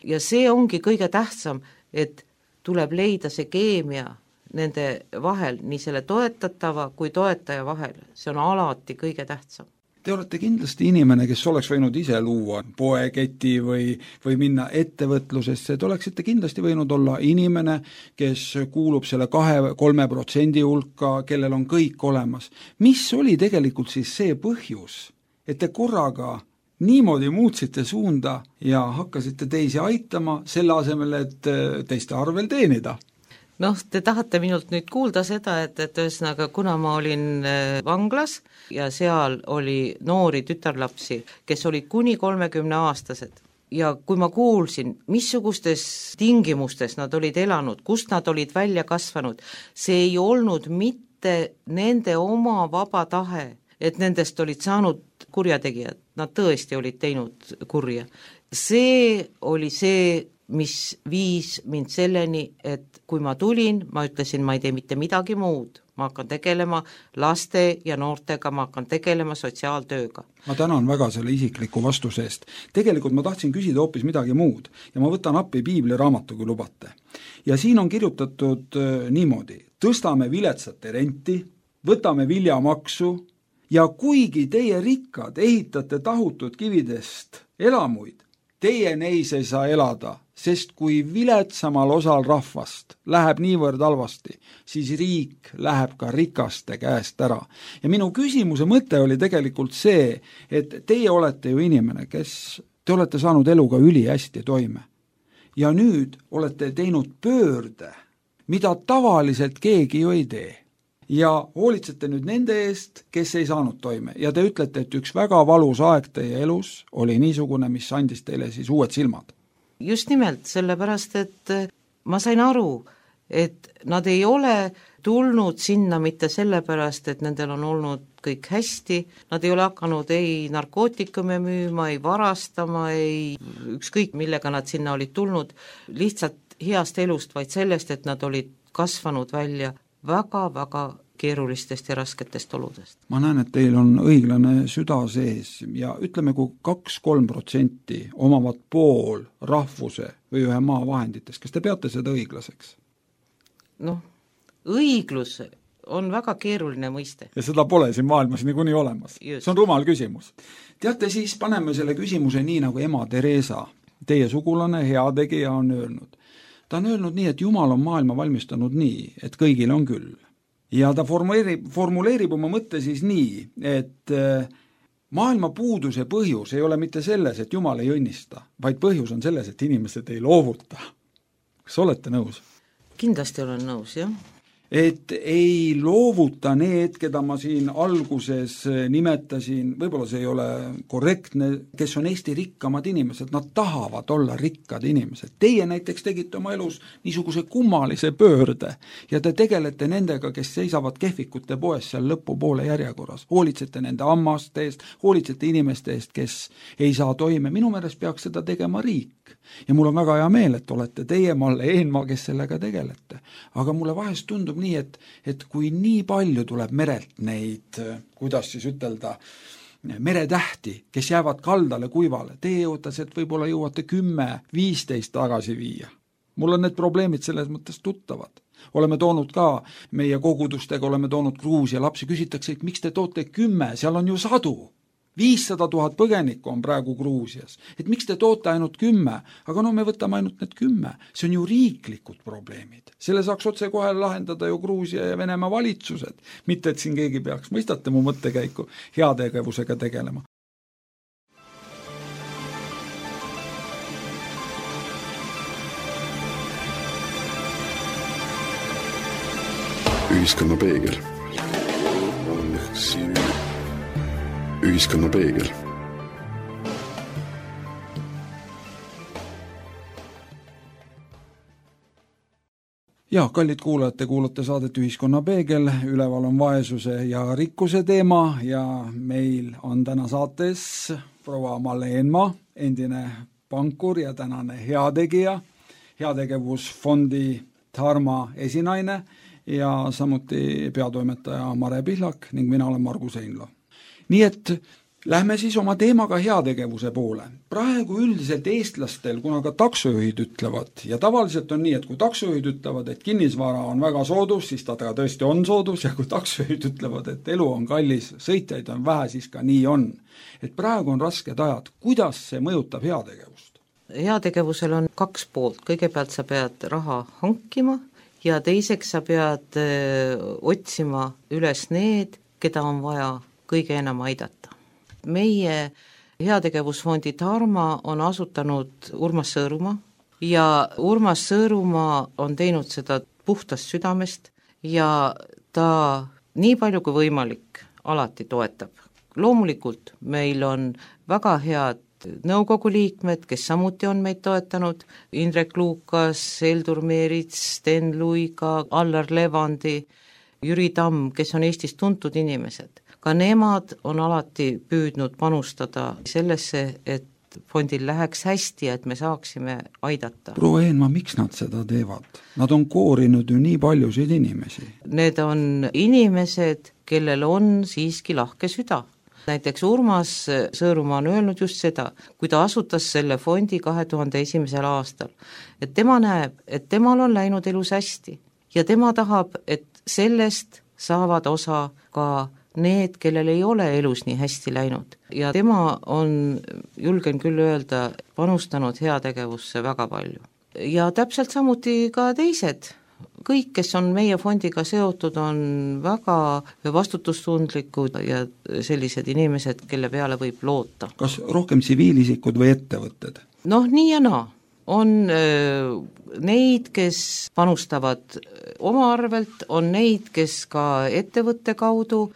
Speaker 3: Ja see ongi kõige tähtsam, et tuleb leida see keemia nende vahel, nii selle toetatava kui toetaja vahel, see on alati kõige tähtsam.
Speaker 2: Te olete kindlasti inimene, kes oleks võinud ise luua poeketi või minna ettevõtlusesse, te oleksite kindlasti võinud olla inimene, kes kuulub selle 2-3% hulka, kellel on kõik olemas. Mis oli tegelikult siis see põhjus, et te korraga niimoodi muutsite suunda ja hakkasite teisi aitama selle asemel, et teiste arvel teenida?
Speaker 3: Te tahate minult nüüd kuulda seda, et ühesõnaga, kuna ma olin vanglas ja seal oli noori tütarlapsi, kes olid kuni 30-aastased ja kui ma kuulsin, missugustes tingimustes nad olid elanud, kust nad olid välja kasvanud, see ei olnud mitte nende oma vaba tahe, et nendest olid saanud kurjategijad, nad tõesti olid teinud kurja. See oli see, mis viis mind selleni, et kui ma tulin, ma ütlesin, ma ei tee mitte midagi muud, ma hakkan tegelema laste ja noortega, ma hakkan tegelema sotsiaaltööga.
Speaker 2: Ma tänan väga selle isikliku vastuse eest. Tegelikult ma tahtsin küsida hoopis midagi muud ja ma võtan appi piibliraamatu, kui lubate. Ja siin on kirjutatud niimoodi, tõstame viletsate renti, võtame viljamaksu ja kuigi teie rikkad ehitate tahutud kividest elamuid, teie neis ei saa elada, sest kui viletsamal osal rahvast läheb niivõrd halvasti, siis riik läheb ka rikaste käest ära. Ja minu küsimuse mõte oli tegelikult see, et teie olete ju inimene, kes te olete saanud eluga ülihästi toime. Ja nüüd olete teinud pöörde, mida tavaliselt keegi ju ei tee. Ja hoolitsete nüüd nende eest, kes ei saanud toime. Ja te ütlete, et üks väga valus aeg teie elus oli niisugune, mis andis teile siis uued silmad.
Speaker 3: Just nimelt, sellepärast, et ma sain aru, et nad ei ole tulnud sinna mitte sellepärast, et nendel on olnud kõik hästi, nad ei ole hakanud ei narkootikume müüma, ei varastama, ei ükskõik millega nad sinna olid tulnud, lihtsalt heast elust, vaid sellest, et nad olid kasvanud välja väga-väga keerulistest ja rasketest oludest.
Speaker 2: Ma näen, et teil on õiglane süda sees ja ütleme, kui 2-3% omavad pool rahvuse või ühe maa vahenditest, kas te peate seda õiglaseks?
Speaker 3: Noh, õiglus on väga keeruline mõiste.
Speaker 2: Ja seda pole siin maailmas niikuinii olemas.
Speaker 3: Just.
Speaker 2: See on rumal küsimus. Teate, siis paneme selle küsimuse nii, nagu ema Teresa, teie sugulane, heategija on öelnud. Ta on öelnud nii, et Jumal on maailma valmistanud nii, et kõigil on küll. Ja ta formuleerib oma mõtte siis nii, et maailma puuduse põhjus ei ole mitte selles, et Jumal ei õnnista, vaid põhjus on selles, et inimesed ei loovuta. Kas olete nõus?
Speaker 3: Kindlasti olen nõus, jah.
Speaker 2: Et ei loovuta need, keda ma siin alguses nimetasin, võib-olla see ei ole korrektne, kes on Eesti rikkamad inimesed, nad tahavad olla rikkad inimesed. Teie näiteks tegite oma elus niisuguse kummalise pöörde ja te tegelete nendega, kes seisavad kehvikute poes seal lõpupoole järjekorras. Hoolitsete nende ammaste eest, hoolitsete inimeste eest, kes ei saa toime. Minu meelest peaks seda tegema riik. Ja mul on väga hea meel, et olete teie, Malle Eenmaa, kes sellega tegelete. Aga mulle vahest tundub nii, et kui nii palju tuleb merelt neid, kuidas siis ütelda, meretähti, kes jäävad kaldale kuivale, teie jõutas, et võib-olla jõuate 10-15 tagasi viia. Mul on need probleemid selles mõttes tuttavad. Oleme toonud ka meie kogudustega, oleme toonud Gruusia lapsi, küsitakse, et miks te toote 10, seal on ju 100. 500 000 põgenikku on praegu Gruusias. Et miks te toote ainult 10? Aga no me võtame ainult need 10. See on ju riiklikud probleemid. Selle saaks otse kohe lahendada ju Gruusia ja Venemaa valitsused. Mitte, et siin keegi peaks, mõistate mu mõttekäiku, heategevusega tegelema.
Speaker 1: Ühiskonna peegel. Ühiskonna peegel.
Speaker 2: Ja, kallid kuulajad, te kuulate saadet Ühiskonna peegel, üleval on vaesuse ja rikkuse teema ja meil on täna saates proua Malle Eenmaa, endine pankur ja tänane heategija, heategevusfondi Dharma esinaine ja samuti peatoimetaja Mare Pihlak ning mina olen Margus Einlo. Nii et lähme siis oma teemaga heategevuse poole. Praegu üldiselt eestlastel, kuna ka taksojuhid ütlevad, ja tavaliselt on nii, et kui taksojuhid ütlevad, et kinnisvara on väga soodus, siis ta tõesti on soodus, ja kui taksojuhid ütlevad, et elu on kallis, sõitjaid on vähe, siis ka nii on. Et praegu on rasked ajad. Kuidas see mõjutab heategevust?
Speaker 3: Heategevusel on 2 poolt. Kõigepealt sa pead raha hankima ja teiseks sa pead otsima üles need, keda on vaja kõige enam aidata. Meie heategevusfondi Dharma on asutanud Urmas Sõõrumaa ja Urmas Sõõrumaa on teinud seda puhtast südamest ja ta nii palju kui võimalik alati toetab. Loomulikult meil on väga head nõukogu liikmed, kes samuti on meid toetanud, Indrek Luukas, Eldur Meerits, Sten Luiga, Allar Levandi, Jüri Tamm, kes on Eestis tuntud inimesed. Ka nemad on alati püüdnud panustada sellesse, et fondil läheks hästi, et me saaksime aidata.
Speaker 2: Proua Eenmaa, miks nad seda teevad? Nad on koorinud ju nii paljusid inimesi.
Speaker 3: Need on inimesed, kellel on siiski lahke süda. Näiteks Urmas Sõõrumaa on öelnud just seda, kui ta asutas selle fondi 2001. aastal, et tema näeb, et temal on läinud elus hästi ja tema tahab, et sellest saavad osa ka need, kellel ei ole elus nii hästi läinud. Ja tema on, julgen küll öelda, panustanud heategevusse väga palju. Ja täpselt samuti ka teised. Kõik, kes on meie fondiga seotud, on väga vastutustundlikud ja sellised inimesed, kelle peale võib loota.
Speaker 2: Kas rohkem tsiviilisikud või ettevõtted?
Speaker 3: Noh, nii ja naa. On neid, kes panustavad oma arvelt, on neid, kes ka ettevõtte kaudu,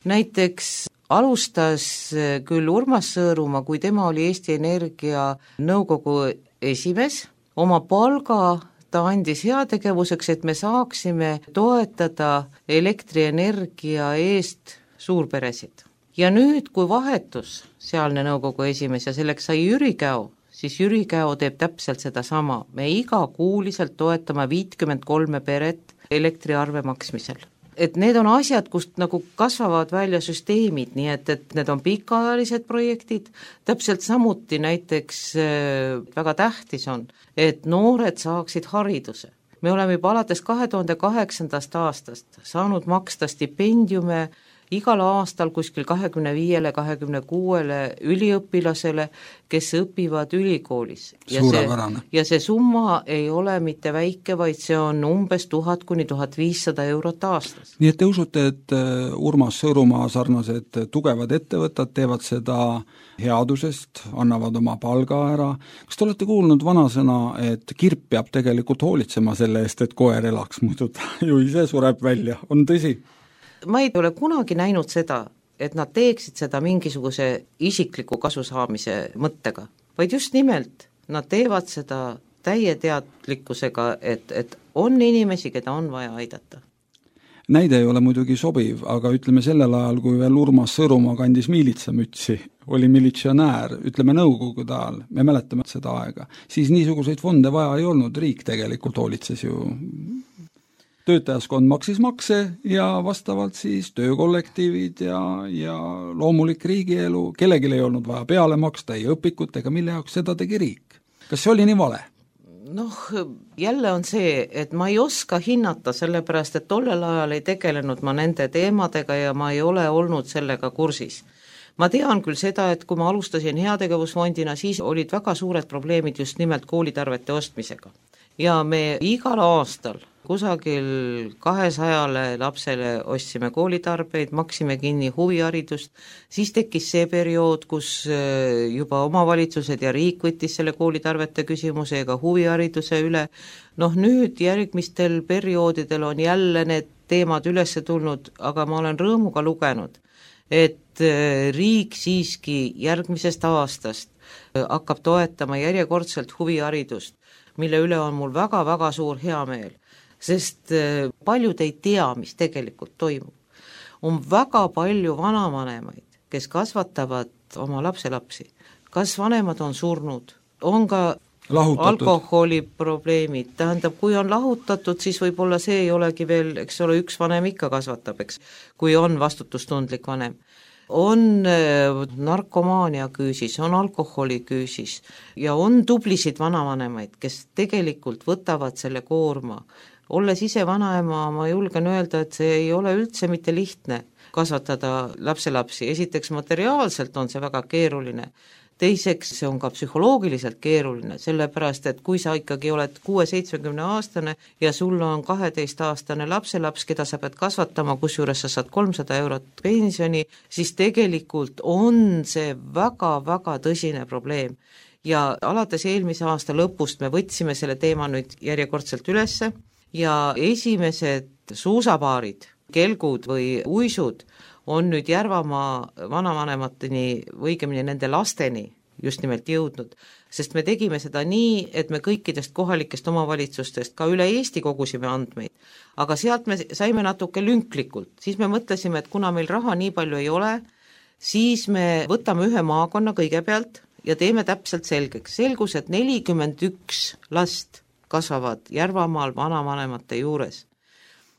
Speaker 3: näiteks alustas küll Urmas Sõõrumaa, kui tema oli Eesti Energia nõukogu esimees, oma palga ta andis heategevuseks, et me saaksime toetada elektrienergia eest suurperesid. Ja nüüd, kui vahetus sealne nõukogu esimees ja selleks sai Jüri Käo, siis Jüri Käo teeb täpselt seda sama. Me igakuuliselt toetame 53 peret elektriarve maksmisel. Et need on asjad, kust nagu kasvavad välja süsteemid, nii et need on pikaajalised projektid, täpselt samuti näiteks väga tähtis on, et noored saaksid hariduse. Me oleme juba alates 2008. aastast saanud maksta stipendiume igal aastal kuskil 25-26 üliõpilasele, kes õpivad ülikoolis. Ja see summa ei ole mitte väike, vaid see on umbes 1000 kuni 1500 eurot aastas.
Speaker 2: Nii et te usute, et Urmas Sõõrumaa sarnased tugevad ettevõtted teevad seda headusest, annavad oma palga ära. Kas te olete kuulnud vanasõna, et kirp peab tegelikult hoolitsema selle eest, et koer elaks, muidu ta ju ise sureb välja, on tõsi?
Speaker 3: Ma ei ole kunagi näinud seda, et nad teeksid seda mingisuguse isikliku kasu saamise mõttega, vaid just nimelt nad teevad seda täie teadlikkusega, et on inimesi, keda on vaja aidata.
Speaker 2: Näide ei ole muidugi sobiv, aga ütleme sellel ajal, kui veel Urmas Sõõrumaa kandis miilitsamütsi, oli militsionäär, ütleme nõukogude ajal, me mäletame seda aega, siis niisuguseid fonde vaja ei olnud, riik tegelikult hoolitses ju. Töötajaskond maksis makse ja vastavalt siis töökollektiivid ja loomulik riigielu, kellelgi ei olnud vaja peale maksta, ei õpikut ega mille jaoks seda tegi riik. Kas see oli nii vale?
Speaker 3: Noh, jälle on see, et ma ei oska hinnata, sellepärast, et tollel ajal ei tegelenud ma nende teemadega ja ma ei ole olnud sellega kursis. Ma tean küll seda, et kui ma alustasin heategevusfondina, siis olid väga suured probleemid just nimelt koolitarvete ostmisega. Ja me igal aastal kusagil 200 lapsele ostsime koolitarbeid, maksime kinni huviharidust, siis tekkis see periood, kus juba omavalitsused ja riik võttis selle koolitarvete küsimuse ja ka huvihariduse üle. Noh, nüüd järgmistel perioodidel on jälle need teemad üles tulnud, aga ma olen rõõmuga lugenud, et riik siiski järgmisest aastast hakkab toetama järjekordselt huviharidust, mille üle on mul väga-väga suur heameel. Sest paljud ei tea, mis tegelikult toimub. On väga palju vanavanemaid, kes kasvatavad oma lapselapsi. Kas vanemad on surnud? On ka alkoholiprobleemid. Tähendab, kui on lahutatud, siis võib-olla see ei olegi veel, eks ole, üks vanem ikka kasvatab, eks, kui on vastutustundlik vanem. On narkomaania küüsis, on alkoholi küüsis ja on tublisid vanavanemaid, kes tegelikult võtavad selle koorma. Olles ise vanaema, ma julgen öelda, et see ei ole üldse mitte lihtne kasvatada lapselapsi. Esiteks materiaalselt on see väga keeruline. Teiseks see on ka psühholoogiliselt keeruline, sellepärast, et kui sa ikkagi oled 6-70 aastane ja sul on 12-aastane lapselaps, keda sa pead kasvatama, kusjuures sa saad 300 eurot pensioni, siis tegelikult on see väga-väga tõsine probleem. Ja alates eelmise aasta lõpust me võtsime selle teema nüüd järjekordselt ülesse ja esimesed suusapaarid, kelgud või uisud on nüüd Järvamaa vanavanemateni või õigemini nende lasteni just nimelt jõudnud, sest me tegime seda nii, et me kõikidest kohalikest omavalitsustest ka üle Eesti kogusime andmeid, aga sealt me saime natuke lünklikult, siis me mõtlesime, et kuna meil raha nii palju ei ole, siis me võtame ühe maakonna kõigepealt ja teeme täpselt selgeks. Selgus, et 41 last kasvavad Järvamaal vanavanemate juures.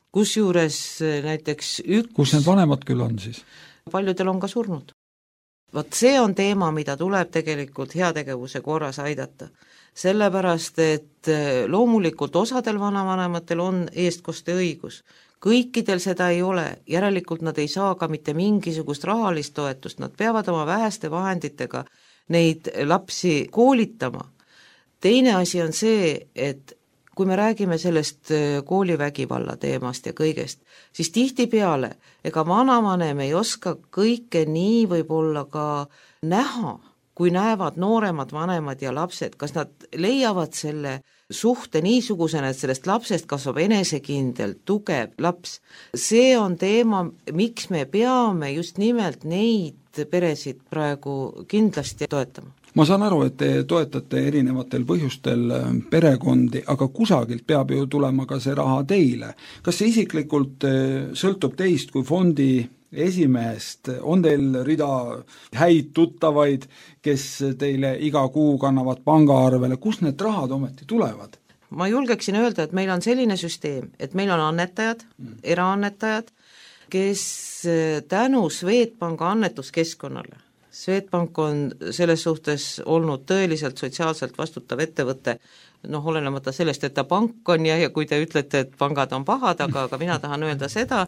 Speaker 3: Kusjuures näiteks
Speaker 2: Kus need vanemad küll on siis?
Speaker 3: Paljudel on ka surnud. Vot see on teema, mida tuleb tegelikult heategevuse korras aidata. Sellepärast, et loomulikult osadel vanavanematel on eestkoste õigus. kõikidel seda ei ole, järelikult nad ei saa ka mitte mingisugust rahalist toetust, nad peavad oma väheste vahenditega neid lapsi koolitama. Teine asi on see, et kui me räägime sellest koolivägivalla teemast ja kõigest, siis tihtipeale ega vanavanem ei oska kõike nii võib-olla ka näha, kui näevad nooremad vanemad ja lapsed, kas nad leiavad selle suhte niisugusena, et sellest lapsest kasvab enesekindel, tugev laps. See on teema, miks me peame just nimelt neid peresid praegu kindlasti toetama.
Speaker 2: Ma saan aru, et te toetate erinevatel põhjustel perekondi, aga kusagilt peab ju tulema ka see raha teile. Kas see isiklikult sõltub teist kui fondi esimehest? On teil rida häid tuttavaid, kes teile iga kuu kannavad pangaarvele? Kus need rahad ometi tulevad?
Speaker 3: Ma julgeksin öelda, et meil on selline süsteem, et meil on annetajad, eraannetajad, kes tänu Swedbanka annetuskeskkonnale, Swedbank on selles suhtes olnud tõeliselt sotsiaalselt vastutav ettevõte, olenemata sellest, et ta pank on ja kui te ütlete, et pangad on pahad, aga mina tahan öelda seda,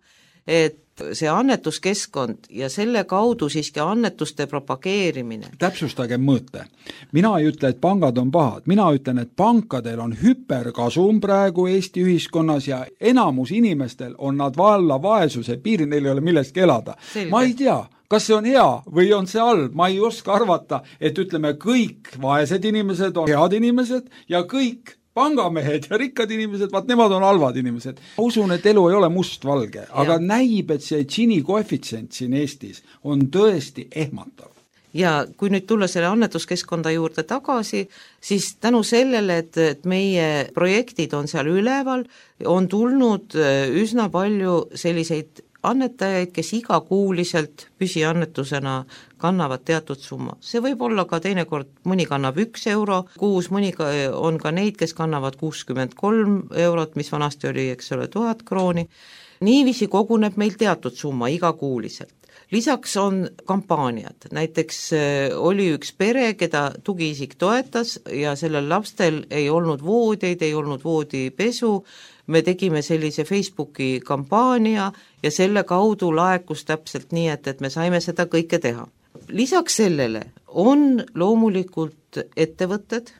Speaker 3: et see annetuskeskkond ja selle kaudu siiski annetuste propageerimine.
Speaker 2: Täpsustage mõõte. Mina ei ütle, et pangad on pahad, mina ütlen, et pankadel on hüperkasum praegu Eesti ühiskonnas ja enamus inimestel on nad valla vaesuse piiri, neil ei ole millestki elada. Selge. Ma ei tea, kas see on hea või on see halb, ma ei oska arvata, et ütleme, kõik vaesed inimesed on head inimesed ja kõik pangamehed ja rikkad inimesed, vaat nemad on halvad inimesed. Ma usun, et elu ei ole mustvalge, aga näib, et see Gini koefitsient siin Eestis on tõesti ehmatav.
Speaker 3: Ja kui nüüd tulla selle annetuskeskkonda juurde tagasi, siis tänu sellele, et meie projektid on seal üleval, on tulnud üsna palju selliseid annetajaid, kes igakuuliselt püsiannetusena kannavad teatud summa. See võib olla ka teinekord, mõni kannab 1 euro kuus, mõni on ka neid, kes kannavad 63 eurot, mis vanasti oli, 1000 krooni. Niiviisi koguneb meil teatud summa igakuuliselt. Lisaks on kampaaniad, näiteks oli üks pere, keda tugiisik toetas ja sellel lastel ei olnud voodeid, ei olnud voodipesu, me tegime sellise Facebooki kampaania ja selle kaudu laekus täpselt nii, et me saime seda kõike teha. Lisaks sellele on loomulikult ettevõtted,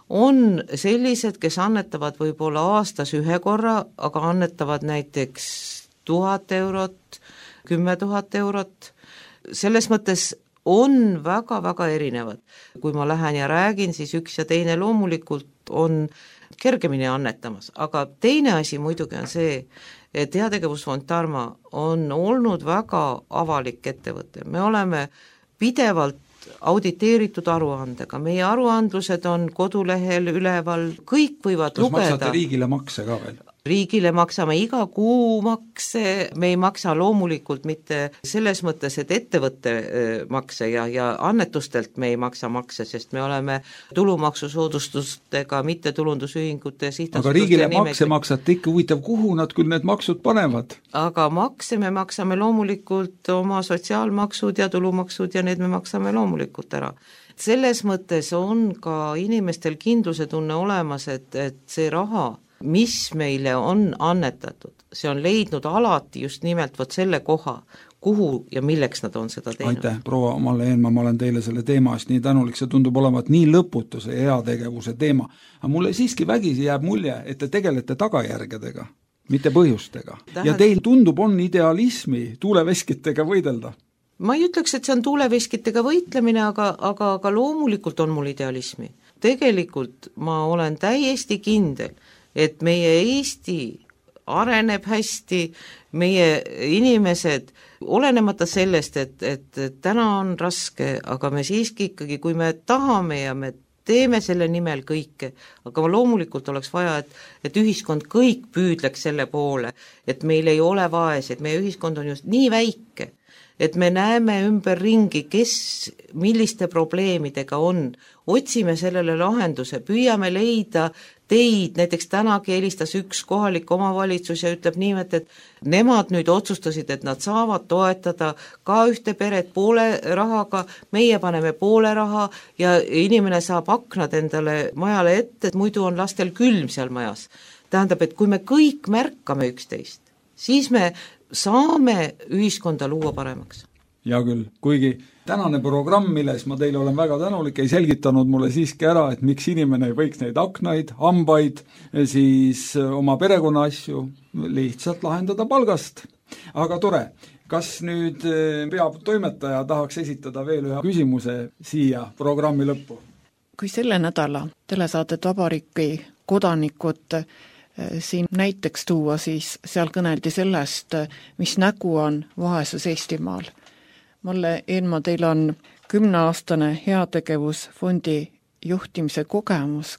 Speaker 3: on sellised, kes annetavad võib-olla aastas 1 korra, aga annetavad näiteks 1000 eurot, 10 000 eurot. Selles mõttes on väga-väga erinevad. Kui ma lähen ja räägin, siis üks ja teine loomulikult on kergemini annetamas, aga teine asi muidugi on see, et Heategevusfond Tarma on olnud väga avalik ettevõte. Me oleme pidevalt auditeeritud aruandega, meie aruandlused on kodulehel üleval, kõik võivad lugeda.
Speaker 2: Kas maksate riigile makse ka veel?
Speaker 3: Riigile maksame iga kuu makse, me ei maksa loomulikult mitte selles mõttes, et ettevõtte makse ja annetustelt me ei maksa makse, sest me oleme tulumaksusoodustustega mittetulundusühingute sihtasutuste
Speaker 2: aga riigile makse maksate ikka, huvitav, kuhu nad küll need maksud panevad?
Speaker 3: Aga makse me maksame loomulikult oma sotsiaalmaksud ja tulumaksud ja need me maksame loomulikult ära. Selles mõttes on ka inimestel kindluse tunne olemas, et see raha, mis meile on annetatud, see on leidnud alati just nimelt võt selle koha, kuhu ja milleks nad on seda teinud.
Speaker 2: Aitäh, proua Malle Eenmaa, ma olen teile selle teema eest nii tänulik, see tundub olevat nii lõputuse heategevuse teema. Aga mulle siiski vägisi jääb mulje, et te tegelete tagajärgedega, mitte põhjustega. Ja teil tundub on idealismi tuuleveskitega võidelda.
Speaker 3: Ma ei ütleks, et see on tuuleveskitega võitlemine, aga loomulikult on mul idealismi. Tegelikult ma olen täiesti kindel, et meie Eesti areneb hästi, meie inimesed, olenemata sellest, et täna on raske, aga me siiski ikkagi, kui me tahame ja me teeme selle nimel kõike, aga loomulikult oleks vaja, et ühiskond kõik püüdleks selle poole, et meil ei ole vaesed, meie ühiskond on just nii väike, et me näeme ümber ringi, kes milliste probleemidega on, otsime sellele lahenduse, püüame leida teid, näiteks tänagi helistas üks kohalik omavalitsus ja ütleb niimoodi, et nemad nüüd otsustasid, et nad saavad toetada ka ühte peret poole rahaga, meie paneme poole raha ja inimene saab aknad endale majale ette, et muidu on lastel külm seal majas. Tähendab, et kui me kõik märkame üksteist, siis me saame ühiskonda luua paremaks.
Speaker 2: Hea küll, kuigi tänane programm, milles ma teile olen väga tänulik, ei selgitanud mulle siiski ära, et miks inimene ei võiks neid aknaid, hambaid, siis oma perekonna asju lihtsalt lahendada palgast. Aga tore, kas nüüd peatoimetaja tahaks esitada veel ühe küsimuse siia programmi lõppu?
Speaker 4: Kui selle nädala telesaadet Vabariigi kodanikud siin näiteks tuua, siis seal kõneldi sellest, mis nägu on vaesus Eestimaal. Malle Eenmaa, teil on 10-aastane heategevusfondi juhtimise kogemus.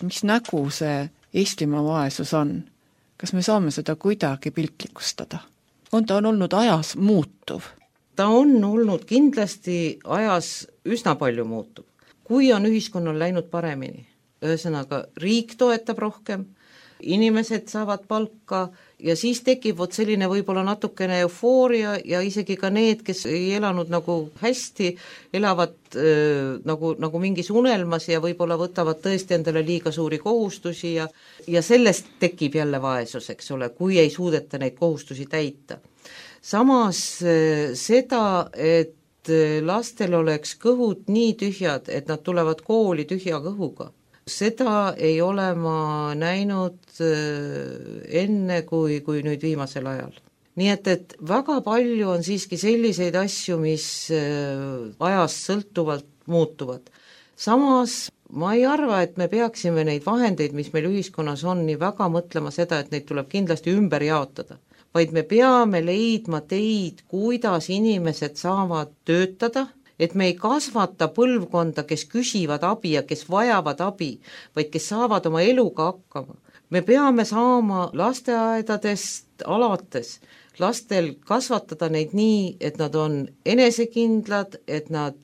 Speaker 4: Mis nägu see Eestimaa vaesus on? Kas me saame seda kuidagi piltlikustada? Ta on olnud ajas muutuv?
Speaker 3: Ta on olnud kindlasti ajas üsna palju muutuv. Kui on ühiskonnal läinud paremini, ühesõnaga riik toetab rohkem, inimesed saavad palka ja siis tekib selline võib-olla natukene eufooria ja isegi ka need, kes ei elanud nagu hästi, elavad nagu mingis unelmas ja võib-olla võtavad tõesti endale liiga suuri kohustusi ja sellest tekib jälle vaesus, eks ole, kui ei suudeta neid kohustusi täita. Samas seda, et lastel oleks kõhud nii tühjad, et nad tulevad kooli tühja kõhuga, seda ei ole ma näinud enne kui nüüd viimasel ajal. Nii et väga palju on siiski selliseid asju, mis ajast sõltuvalt muutuvad. Samas ma ei arva, et me peaksime neid vahendeid, mis meil ühiskonnas on, nii väga mõtlema seda, et neid tuleb kindlasti ümber jaotada, vaid me peame leidma teid, kuidas inimesed saavad töötada, et me ei kasvata põlvkonda, kes küsivad abi ja kes vajavad abi, vaid kes saavad oma eluga hakkama. Me peame saama lasteaedadest alates lastel kasvatada neid nii, et nad on enesekindlad, et nad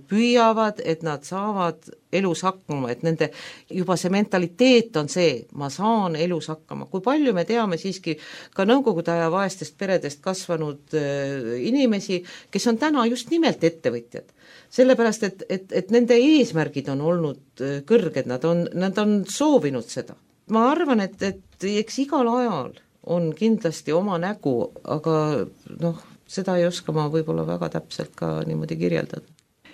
Speaker 3: püüavad, et nad saavad elus hakkama, et nende juba see mentaliteet on see, ma saan elus hakkama. Kui palju me teame siiski ka nõukogude aja vaestest peredest kasvanud inimesi, kes on täna just nimelt ettevõtjad. Sellepärast, et nende eesmärgid on olnud kõrged, nad on soovinud seda. Ma arvan, et eks igal ajal on kindlasti oma nägu, aga seda ei oska ma võib-olla väga täpselt ka niimoodi kirjeldada.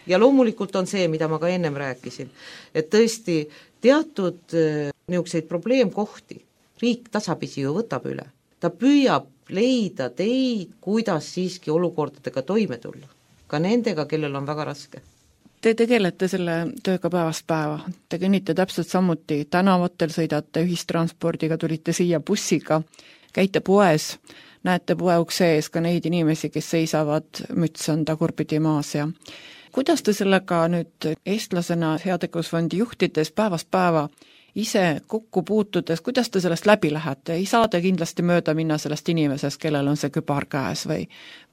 Speaker 3: Ja loomulikult on see, mida ma ka ennem rääkisin, et tõesti teatud niisuguseid probleemkohti riik tasapisi ju võtab üle. Ta püüab leida teid, kuidas siiski olukordadega toime tulla. Ka nendega, kellel on väga raske.
Speaker 4: Te tegelete selle tööga päevast päeva. Te kõnnite täpselt samuti tänavatel, sõidate ühistranspordiga, tulite siia bussiga, käite poes, näete poe ukse ees ka neid inimesi, kes seisavad, müts on tagurpidi maas. Ja kuidas te sellega nüüd eestlasena heategevusfondi juhtides päevast päeva ise kokku puutudes, kuidas te sellest läbi lähete? Ei saa te kindlasti mööda minna sellest inimesest, kellel on see kübar käes või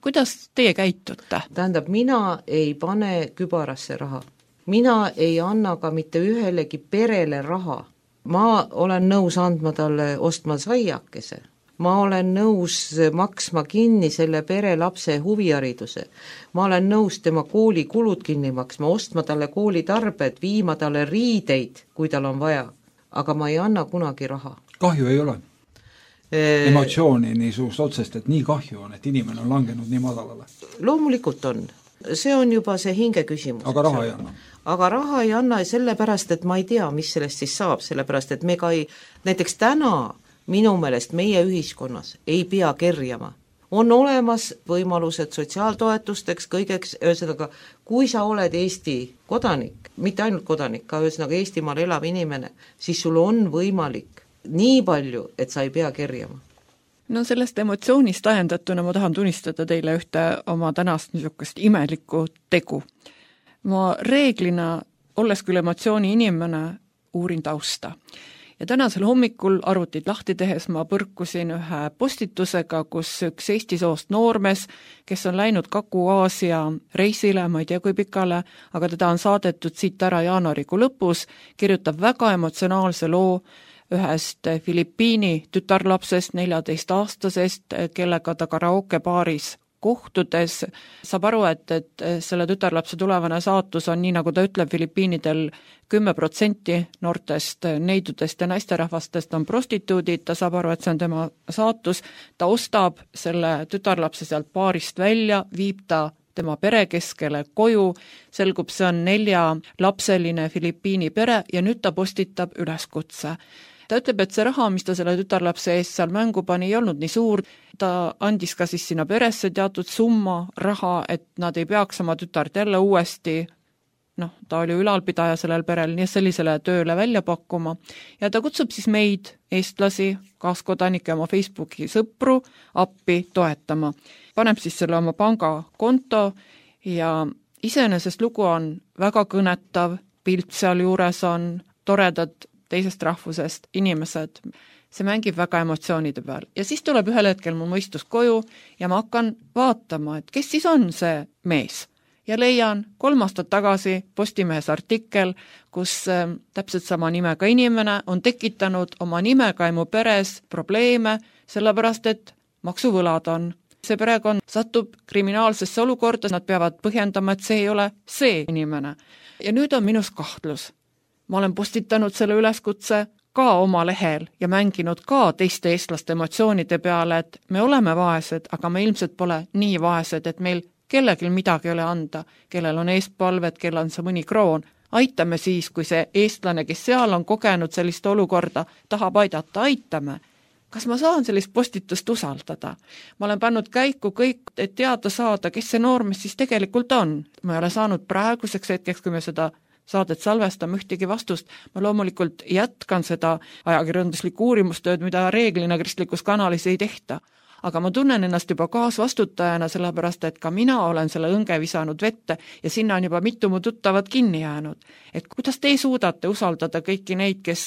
Speaker 4: kuidas teie käitute?
Speaker 3: Tähendab, mina ei pane kübarasse raha. Mina ei anna ka mitte ühelegi perele raha. Ma olen nõus andma talle ostma saiakese. Ma olen nõus maksma kinni selle pere lapse huvihariduse. Ma olen nõus tema koolikulud kinni maksma, ostma talle koolitarbed, viima talle riideid, kui tal on vaja. Aga ma ei anna kunagi raha.
Speaker 2: Kahju ei ole? Emotsiooni nii suust otsest, et nii kahju on, et inimene on langenud nii madalale?
Speaker 3: Loomulikult on. See on juba see hinge küsimus.
Speaker 2: Aga raha ei anna?
Speaker 3: Aga raha ei anna sellepärast, et ma ei tea, mis sellest siis saab, sellepärast, et me ka ei, näiteks täna minu meelest meie ühiskonnas ei pea kerjama. On olemas võimalused sotsiaaltoetusteks, kõigeks, ühesõnaga, kui sa oled Eesti kodanik, mitte ainult kodanik, ka ühesõnaga Eestimaal elav inimene, siis sul on võimalik nii palju, et sa ei pea kerjama.
Speaker 4: No sellest emotsioonist ajendatuna ma tahan tunnistada teile ühte oma tänast niisugust imelikku tegu. Ma reeglina, olles küll emotsiooni inimene, uurin tausta. Ja tänasel hommikul arvutid lahti tehes ma põrkusin ühe postitusega, kus üks Eesti soost noormees, kes on läinud Kagu-Aasia reisile, ma ei tea kui pikale, aga teda on saadetud siit ära jaanuarikuu lõpus, kirjutab väga emotsionaalse loo ühest Filipiini tütarlapsest, 14-aastasest, kellega ta karaokebaaris kohtudes saab aru, et selle tütarlapse tulevane saatus on nii, nagu ta ütleb, Filipiinidel 10% noortest neidudest ja naisterahvastest on prostituudid, ta saab aru, et see on tema saatus, ta ostab selle tütarlapse sealt baarist välja, viib ta tema pere keskele koju, selgub, see on 4-lapseline Filipiini pere ja nüüd ta postitab üleskutse. Ta ütleb, et see raha, mis ta selle tütarlapse eest seal mängu pani, ei olnud nii suur, ta andis ka siis sinna peresse teatud summa raha, et nad ei peaks oma tütart jälle uuesti, ta oli ülalpidaja sellel perel, nii sellisele tööle välja pakkuma ja ta kutsub siis meid, eestlasi, kaaskodanikke, oma Facebooki sõpru appi toetama. Paneb siis selle oma pangakonto ja iseenesest lugu on väga kõnetav, pilt seal juures on, toredad teisest rahvusest inimesed, see mängib väga emotsioonide peal. Ja siis tuleb ühel hetkel mu mõistus koju ja ma hakkan vaatama, et kes siis on see mees. Ja leian 3 aastat tagasi Postimehes artikkel, kus täpselt sama nimega inimene on tekitanud oma nimega emu peres probleeme, sellepärast et maksuvõlad on. See perekond satub kriminaalsesse olukorda, nad peavad põhjendama, et see ei ole see inimene. Ja nüüd on minus kahtlus. Ma olen postitanud selle üleskutse ka oma lehel ja mänginud ka teiste eestlaste emotsioonide peale, et me oleme vaesed, aga me ilmselt pole nii vaesed, et meil kellelgi midagi ei ole anda, kellel on eestpalved, kellel on see mõni kroon. Aitame siis, kui see eestlane, kes seal on kogenud sellist olukorda, tahab aidata, aitame. Kas ma saan sellist postitust usaldada? Ma olen pannud käiku kõik, et teada saada, kes see noormees siis tegelikult on. Ma ei ole saanud praeguseks hetkeks, kui me seda saadet salvestame ühtegi vastust. Ma loomulikult jätkan seda ajakirjanduslikku uurimustööd, mida reeglina kristlikus kanalis ei tehta. Aga ma tunnen ennast juba kaasvastutajana, sellepärast, et ka mina olen selle õnge visanud vette ja sinna on juba mitu mu tuttavad kinni jäänud. Et kuidas te suudate usaldada kõiki neid, kes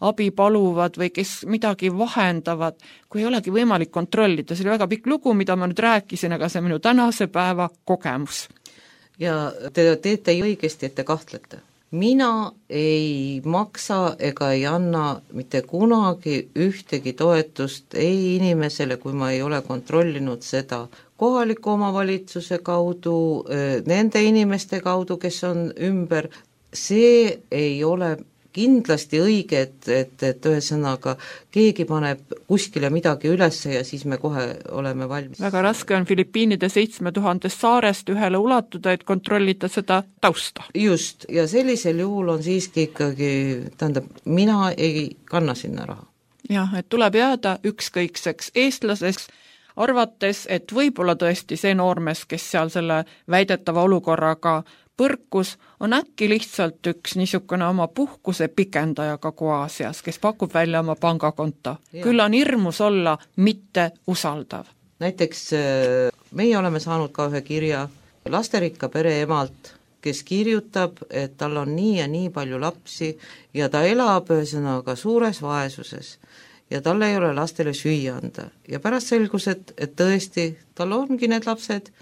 Speaker 4: abi paluvad või kes midagi vahendavad, kui ei olegi võimalik kontrollida. See oli väga pikk lugu, mida ma nüüd rääkisin, aga see on minu tänase päeva kogemus.
Speaker 3: Ja te teete õigesti, et te kahtlete. Mina ei maksa ega ei anna mitte kunagi ühtegi toetust ei inimesele, kui ma ei ole kontrollinud seda kohaliku omavalitsuse kaudu, nende inimeste kaudu, kes on ümber. See ei ole kindlasti õige, et ühesõnaga keegi paneb kuskile midagi üles ja siis me kohe oleme valmis.
Speaker 4: Väga raske on Filipiinide 7000 saarest ühele ulatuda, et kontrollida seda tausta.
Speaker 3: Just, ja sellisel juhul on siiski ikkagi, mina ei kanna sinna raha.
Speaker 4: Jah, et tuleb jääda ükskõikseks eestlaseks, arvates, et võib-olla tõesti see noormees, kes seal selle väidetava olukorraga põrkus, on äkki lihtsalt üks niisugune oma puhkuse pikendaja Kagu-Aasias, kes pakub välja oma pangakonto. Küll on hirmus olla mitte usaldav.
Speaker 3: Näiteks meie oleme saanud ka ühe kirja lasterikka pere emalt, kes kirjutab, et tal on nii ja nii palju lapsi ja ta elab ühesõnaga suures vaesuses ja tal ei ole lastele süüa anda. Ja pärast selgus, et tõesti tal ongi need lapsed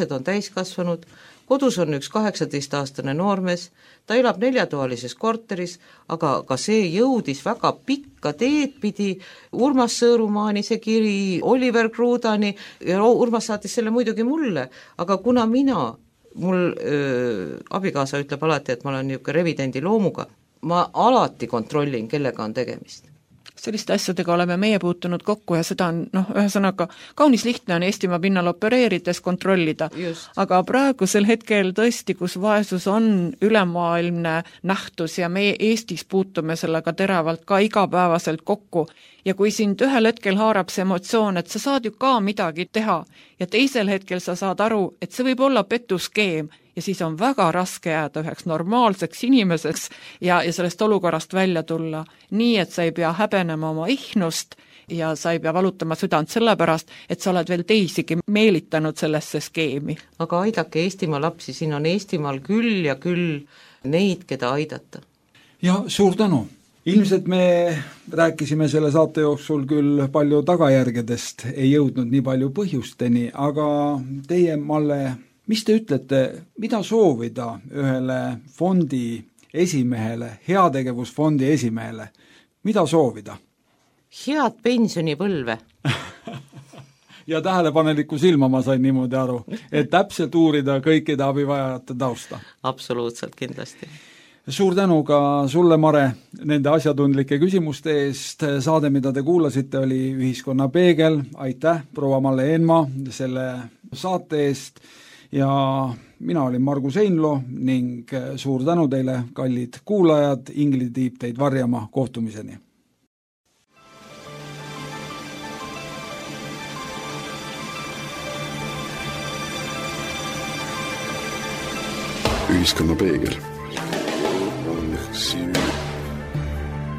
Speaker 3: on täiskasvanud, kodus on üks 18-aastane noormees, ta elab 4-toalises korteris, aga ka see jõudis väga pikka teed pidi Urmas Sõõrumaani see kiri, Oliver Krudani, ja Urmas saatis selle muidugi mulle, aga kuna mul abikaasa ütleb alati, et ma olen niisugune revidendi loomuga, ma alati kontrollin, kellega on tegemist.
Speaker 4: Selliste asjadega oleme meie puutunud kokku ja seda on, ühesõnaga, kaunis lihtne on Eestimaa pinnal opereerides kontrollida.
Speaker 3: Just.
Speaker 4: Aga praegusel hetkel tõesti, kus vaesus on ülemaailmne nähtus ja meie Eestis puutume sellega teravalt ka igapäevaselt kokku ja kui sind ühel hetkel haarab see emotsioon, et sa saad ju ka midagi teha ja teisel hetkel sa saad aru, et see võib olla petuskeem ja siis on väga raske jääda üheks normaalseks inimeseks ja sellest olukorrast välja tulla. Nii, et sa ei pea häbenema oma ihnust ja sa ei pea valutama südant sellepärast, et sa oled veel teisigi meelitanud sellesse skeemi.
Speaker 3: Aga aidake Eestimaa lapsi, siin on Eestimaal küll ja küll neid, keda aidata.
Speaker 2: Ja suur tänu! Ilmselt me rääkisime selle saate jooksul küll palju tagajärgedest, ei jõudnud nii palju põhjusteni, aga teie, Malle, mis te ütlete, mida soovida ühele fondi esimehele, heategevusfondi esimehele? Mida soovida?
Speaker 3: Head pensionipõlve.
Speaker 2: ja tähelepaneliku silma, ma sain niimoodi aru, et täpselt uurida kõikide abivajajate tausta.
Speaker 3: Absoluutselt, kindlasti.
Speaker 2: Suur tänu ka sulle, Mare, nende asjatundlike küsimuste eest. Saade, mida te kuulasite, oli Ühiskonna Peegel. Aitäh, proua Malle Eenmaa, selle saate eest. Ja mina olin Margus Einlo ning suur tänu teile, kallid kuulajad. Ingrid Tiip teid varjama. Kohtumiseni.
Speaker 1: Ühiskonna Peegel.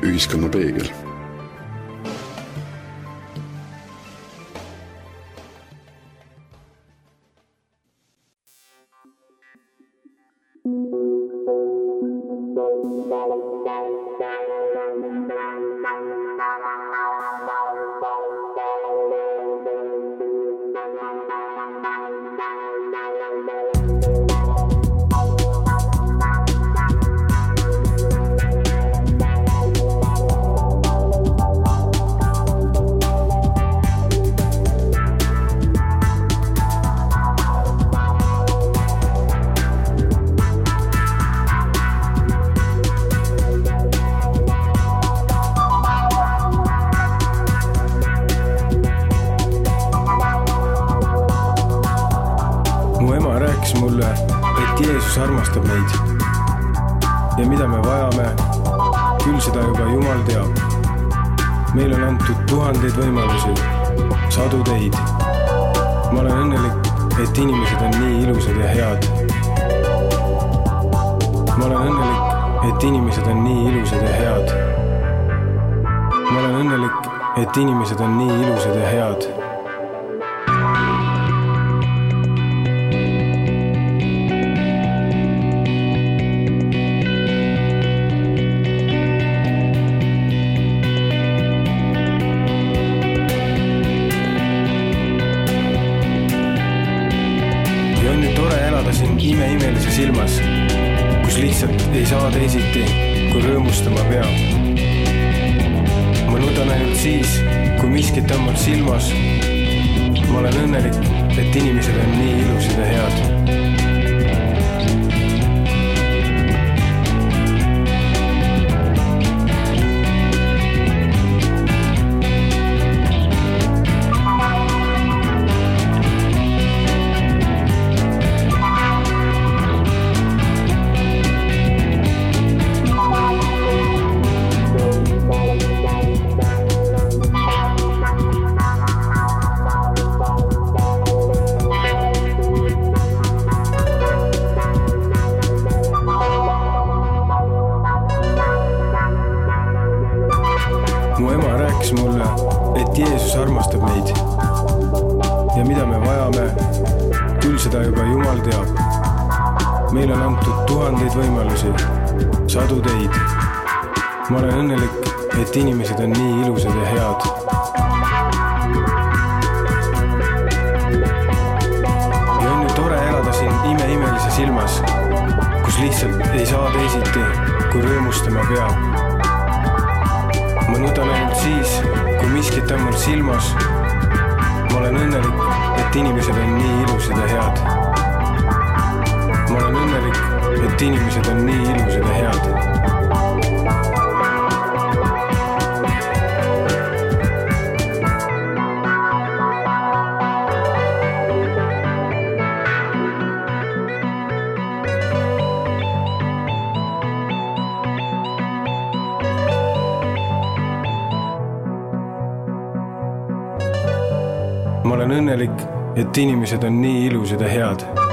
Speaker 1: Ühiskonna Peegel.
Speaker 5: Armastab meid ja mida me vajame, küll seda juba Jumal teab. Meil on antud tuhandeid võimalusi, sadu teid. Ma olen õnnelik, et inimesed on nii ilusad ja head. Ma olen õnnelik, et inimesed on nii ilusad ja head. Ma olen õnnelik, et inimesed on nii ilusad ja head. Imeimelises ilmas, kus lihtsalt ei saa teisiti, kui rõõmustama peab. Ma nudan ainult siis, kui miskit on mul silmas. Ma olen õnnelik, et inimesed on nii ilusad ja head. Mulle, et Jeesus armastab meid ja mida me vajame, küll seda juba Jumal teab. Meil on antud tuhandeid võimalusi, sadu teid. Ma olen õnnelik, et inimesed on nii ilusad ja head. Ja on ju tore elada siin imeimelises ilmas, kus lihtsalt ei saa teisiti, kui rõõmustama peab. Ma nudan ainult siis, kui miskit on mul silmas. Ma olen õnnelik, et inimesed on nii ilusad ja head. Ma olen õnnelik, et inimesed on nii ilusad ja head. Ma olen õnnelik, et inimesed on nii ilusad ja head.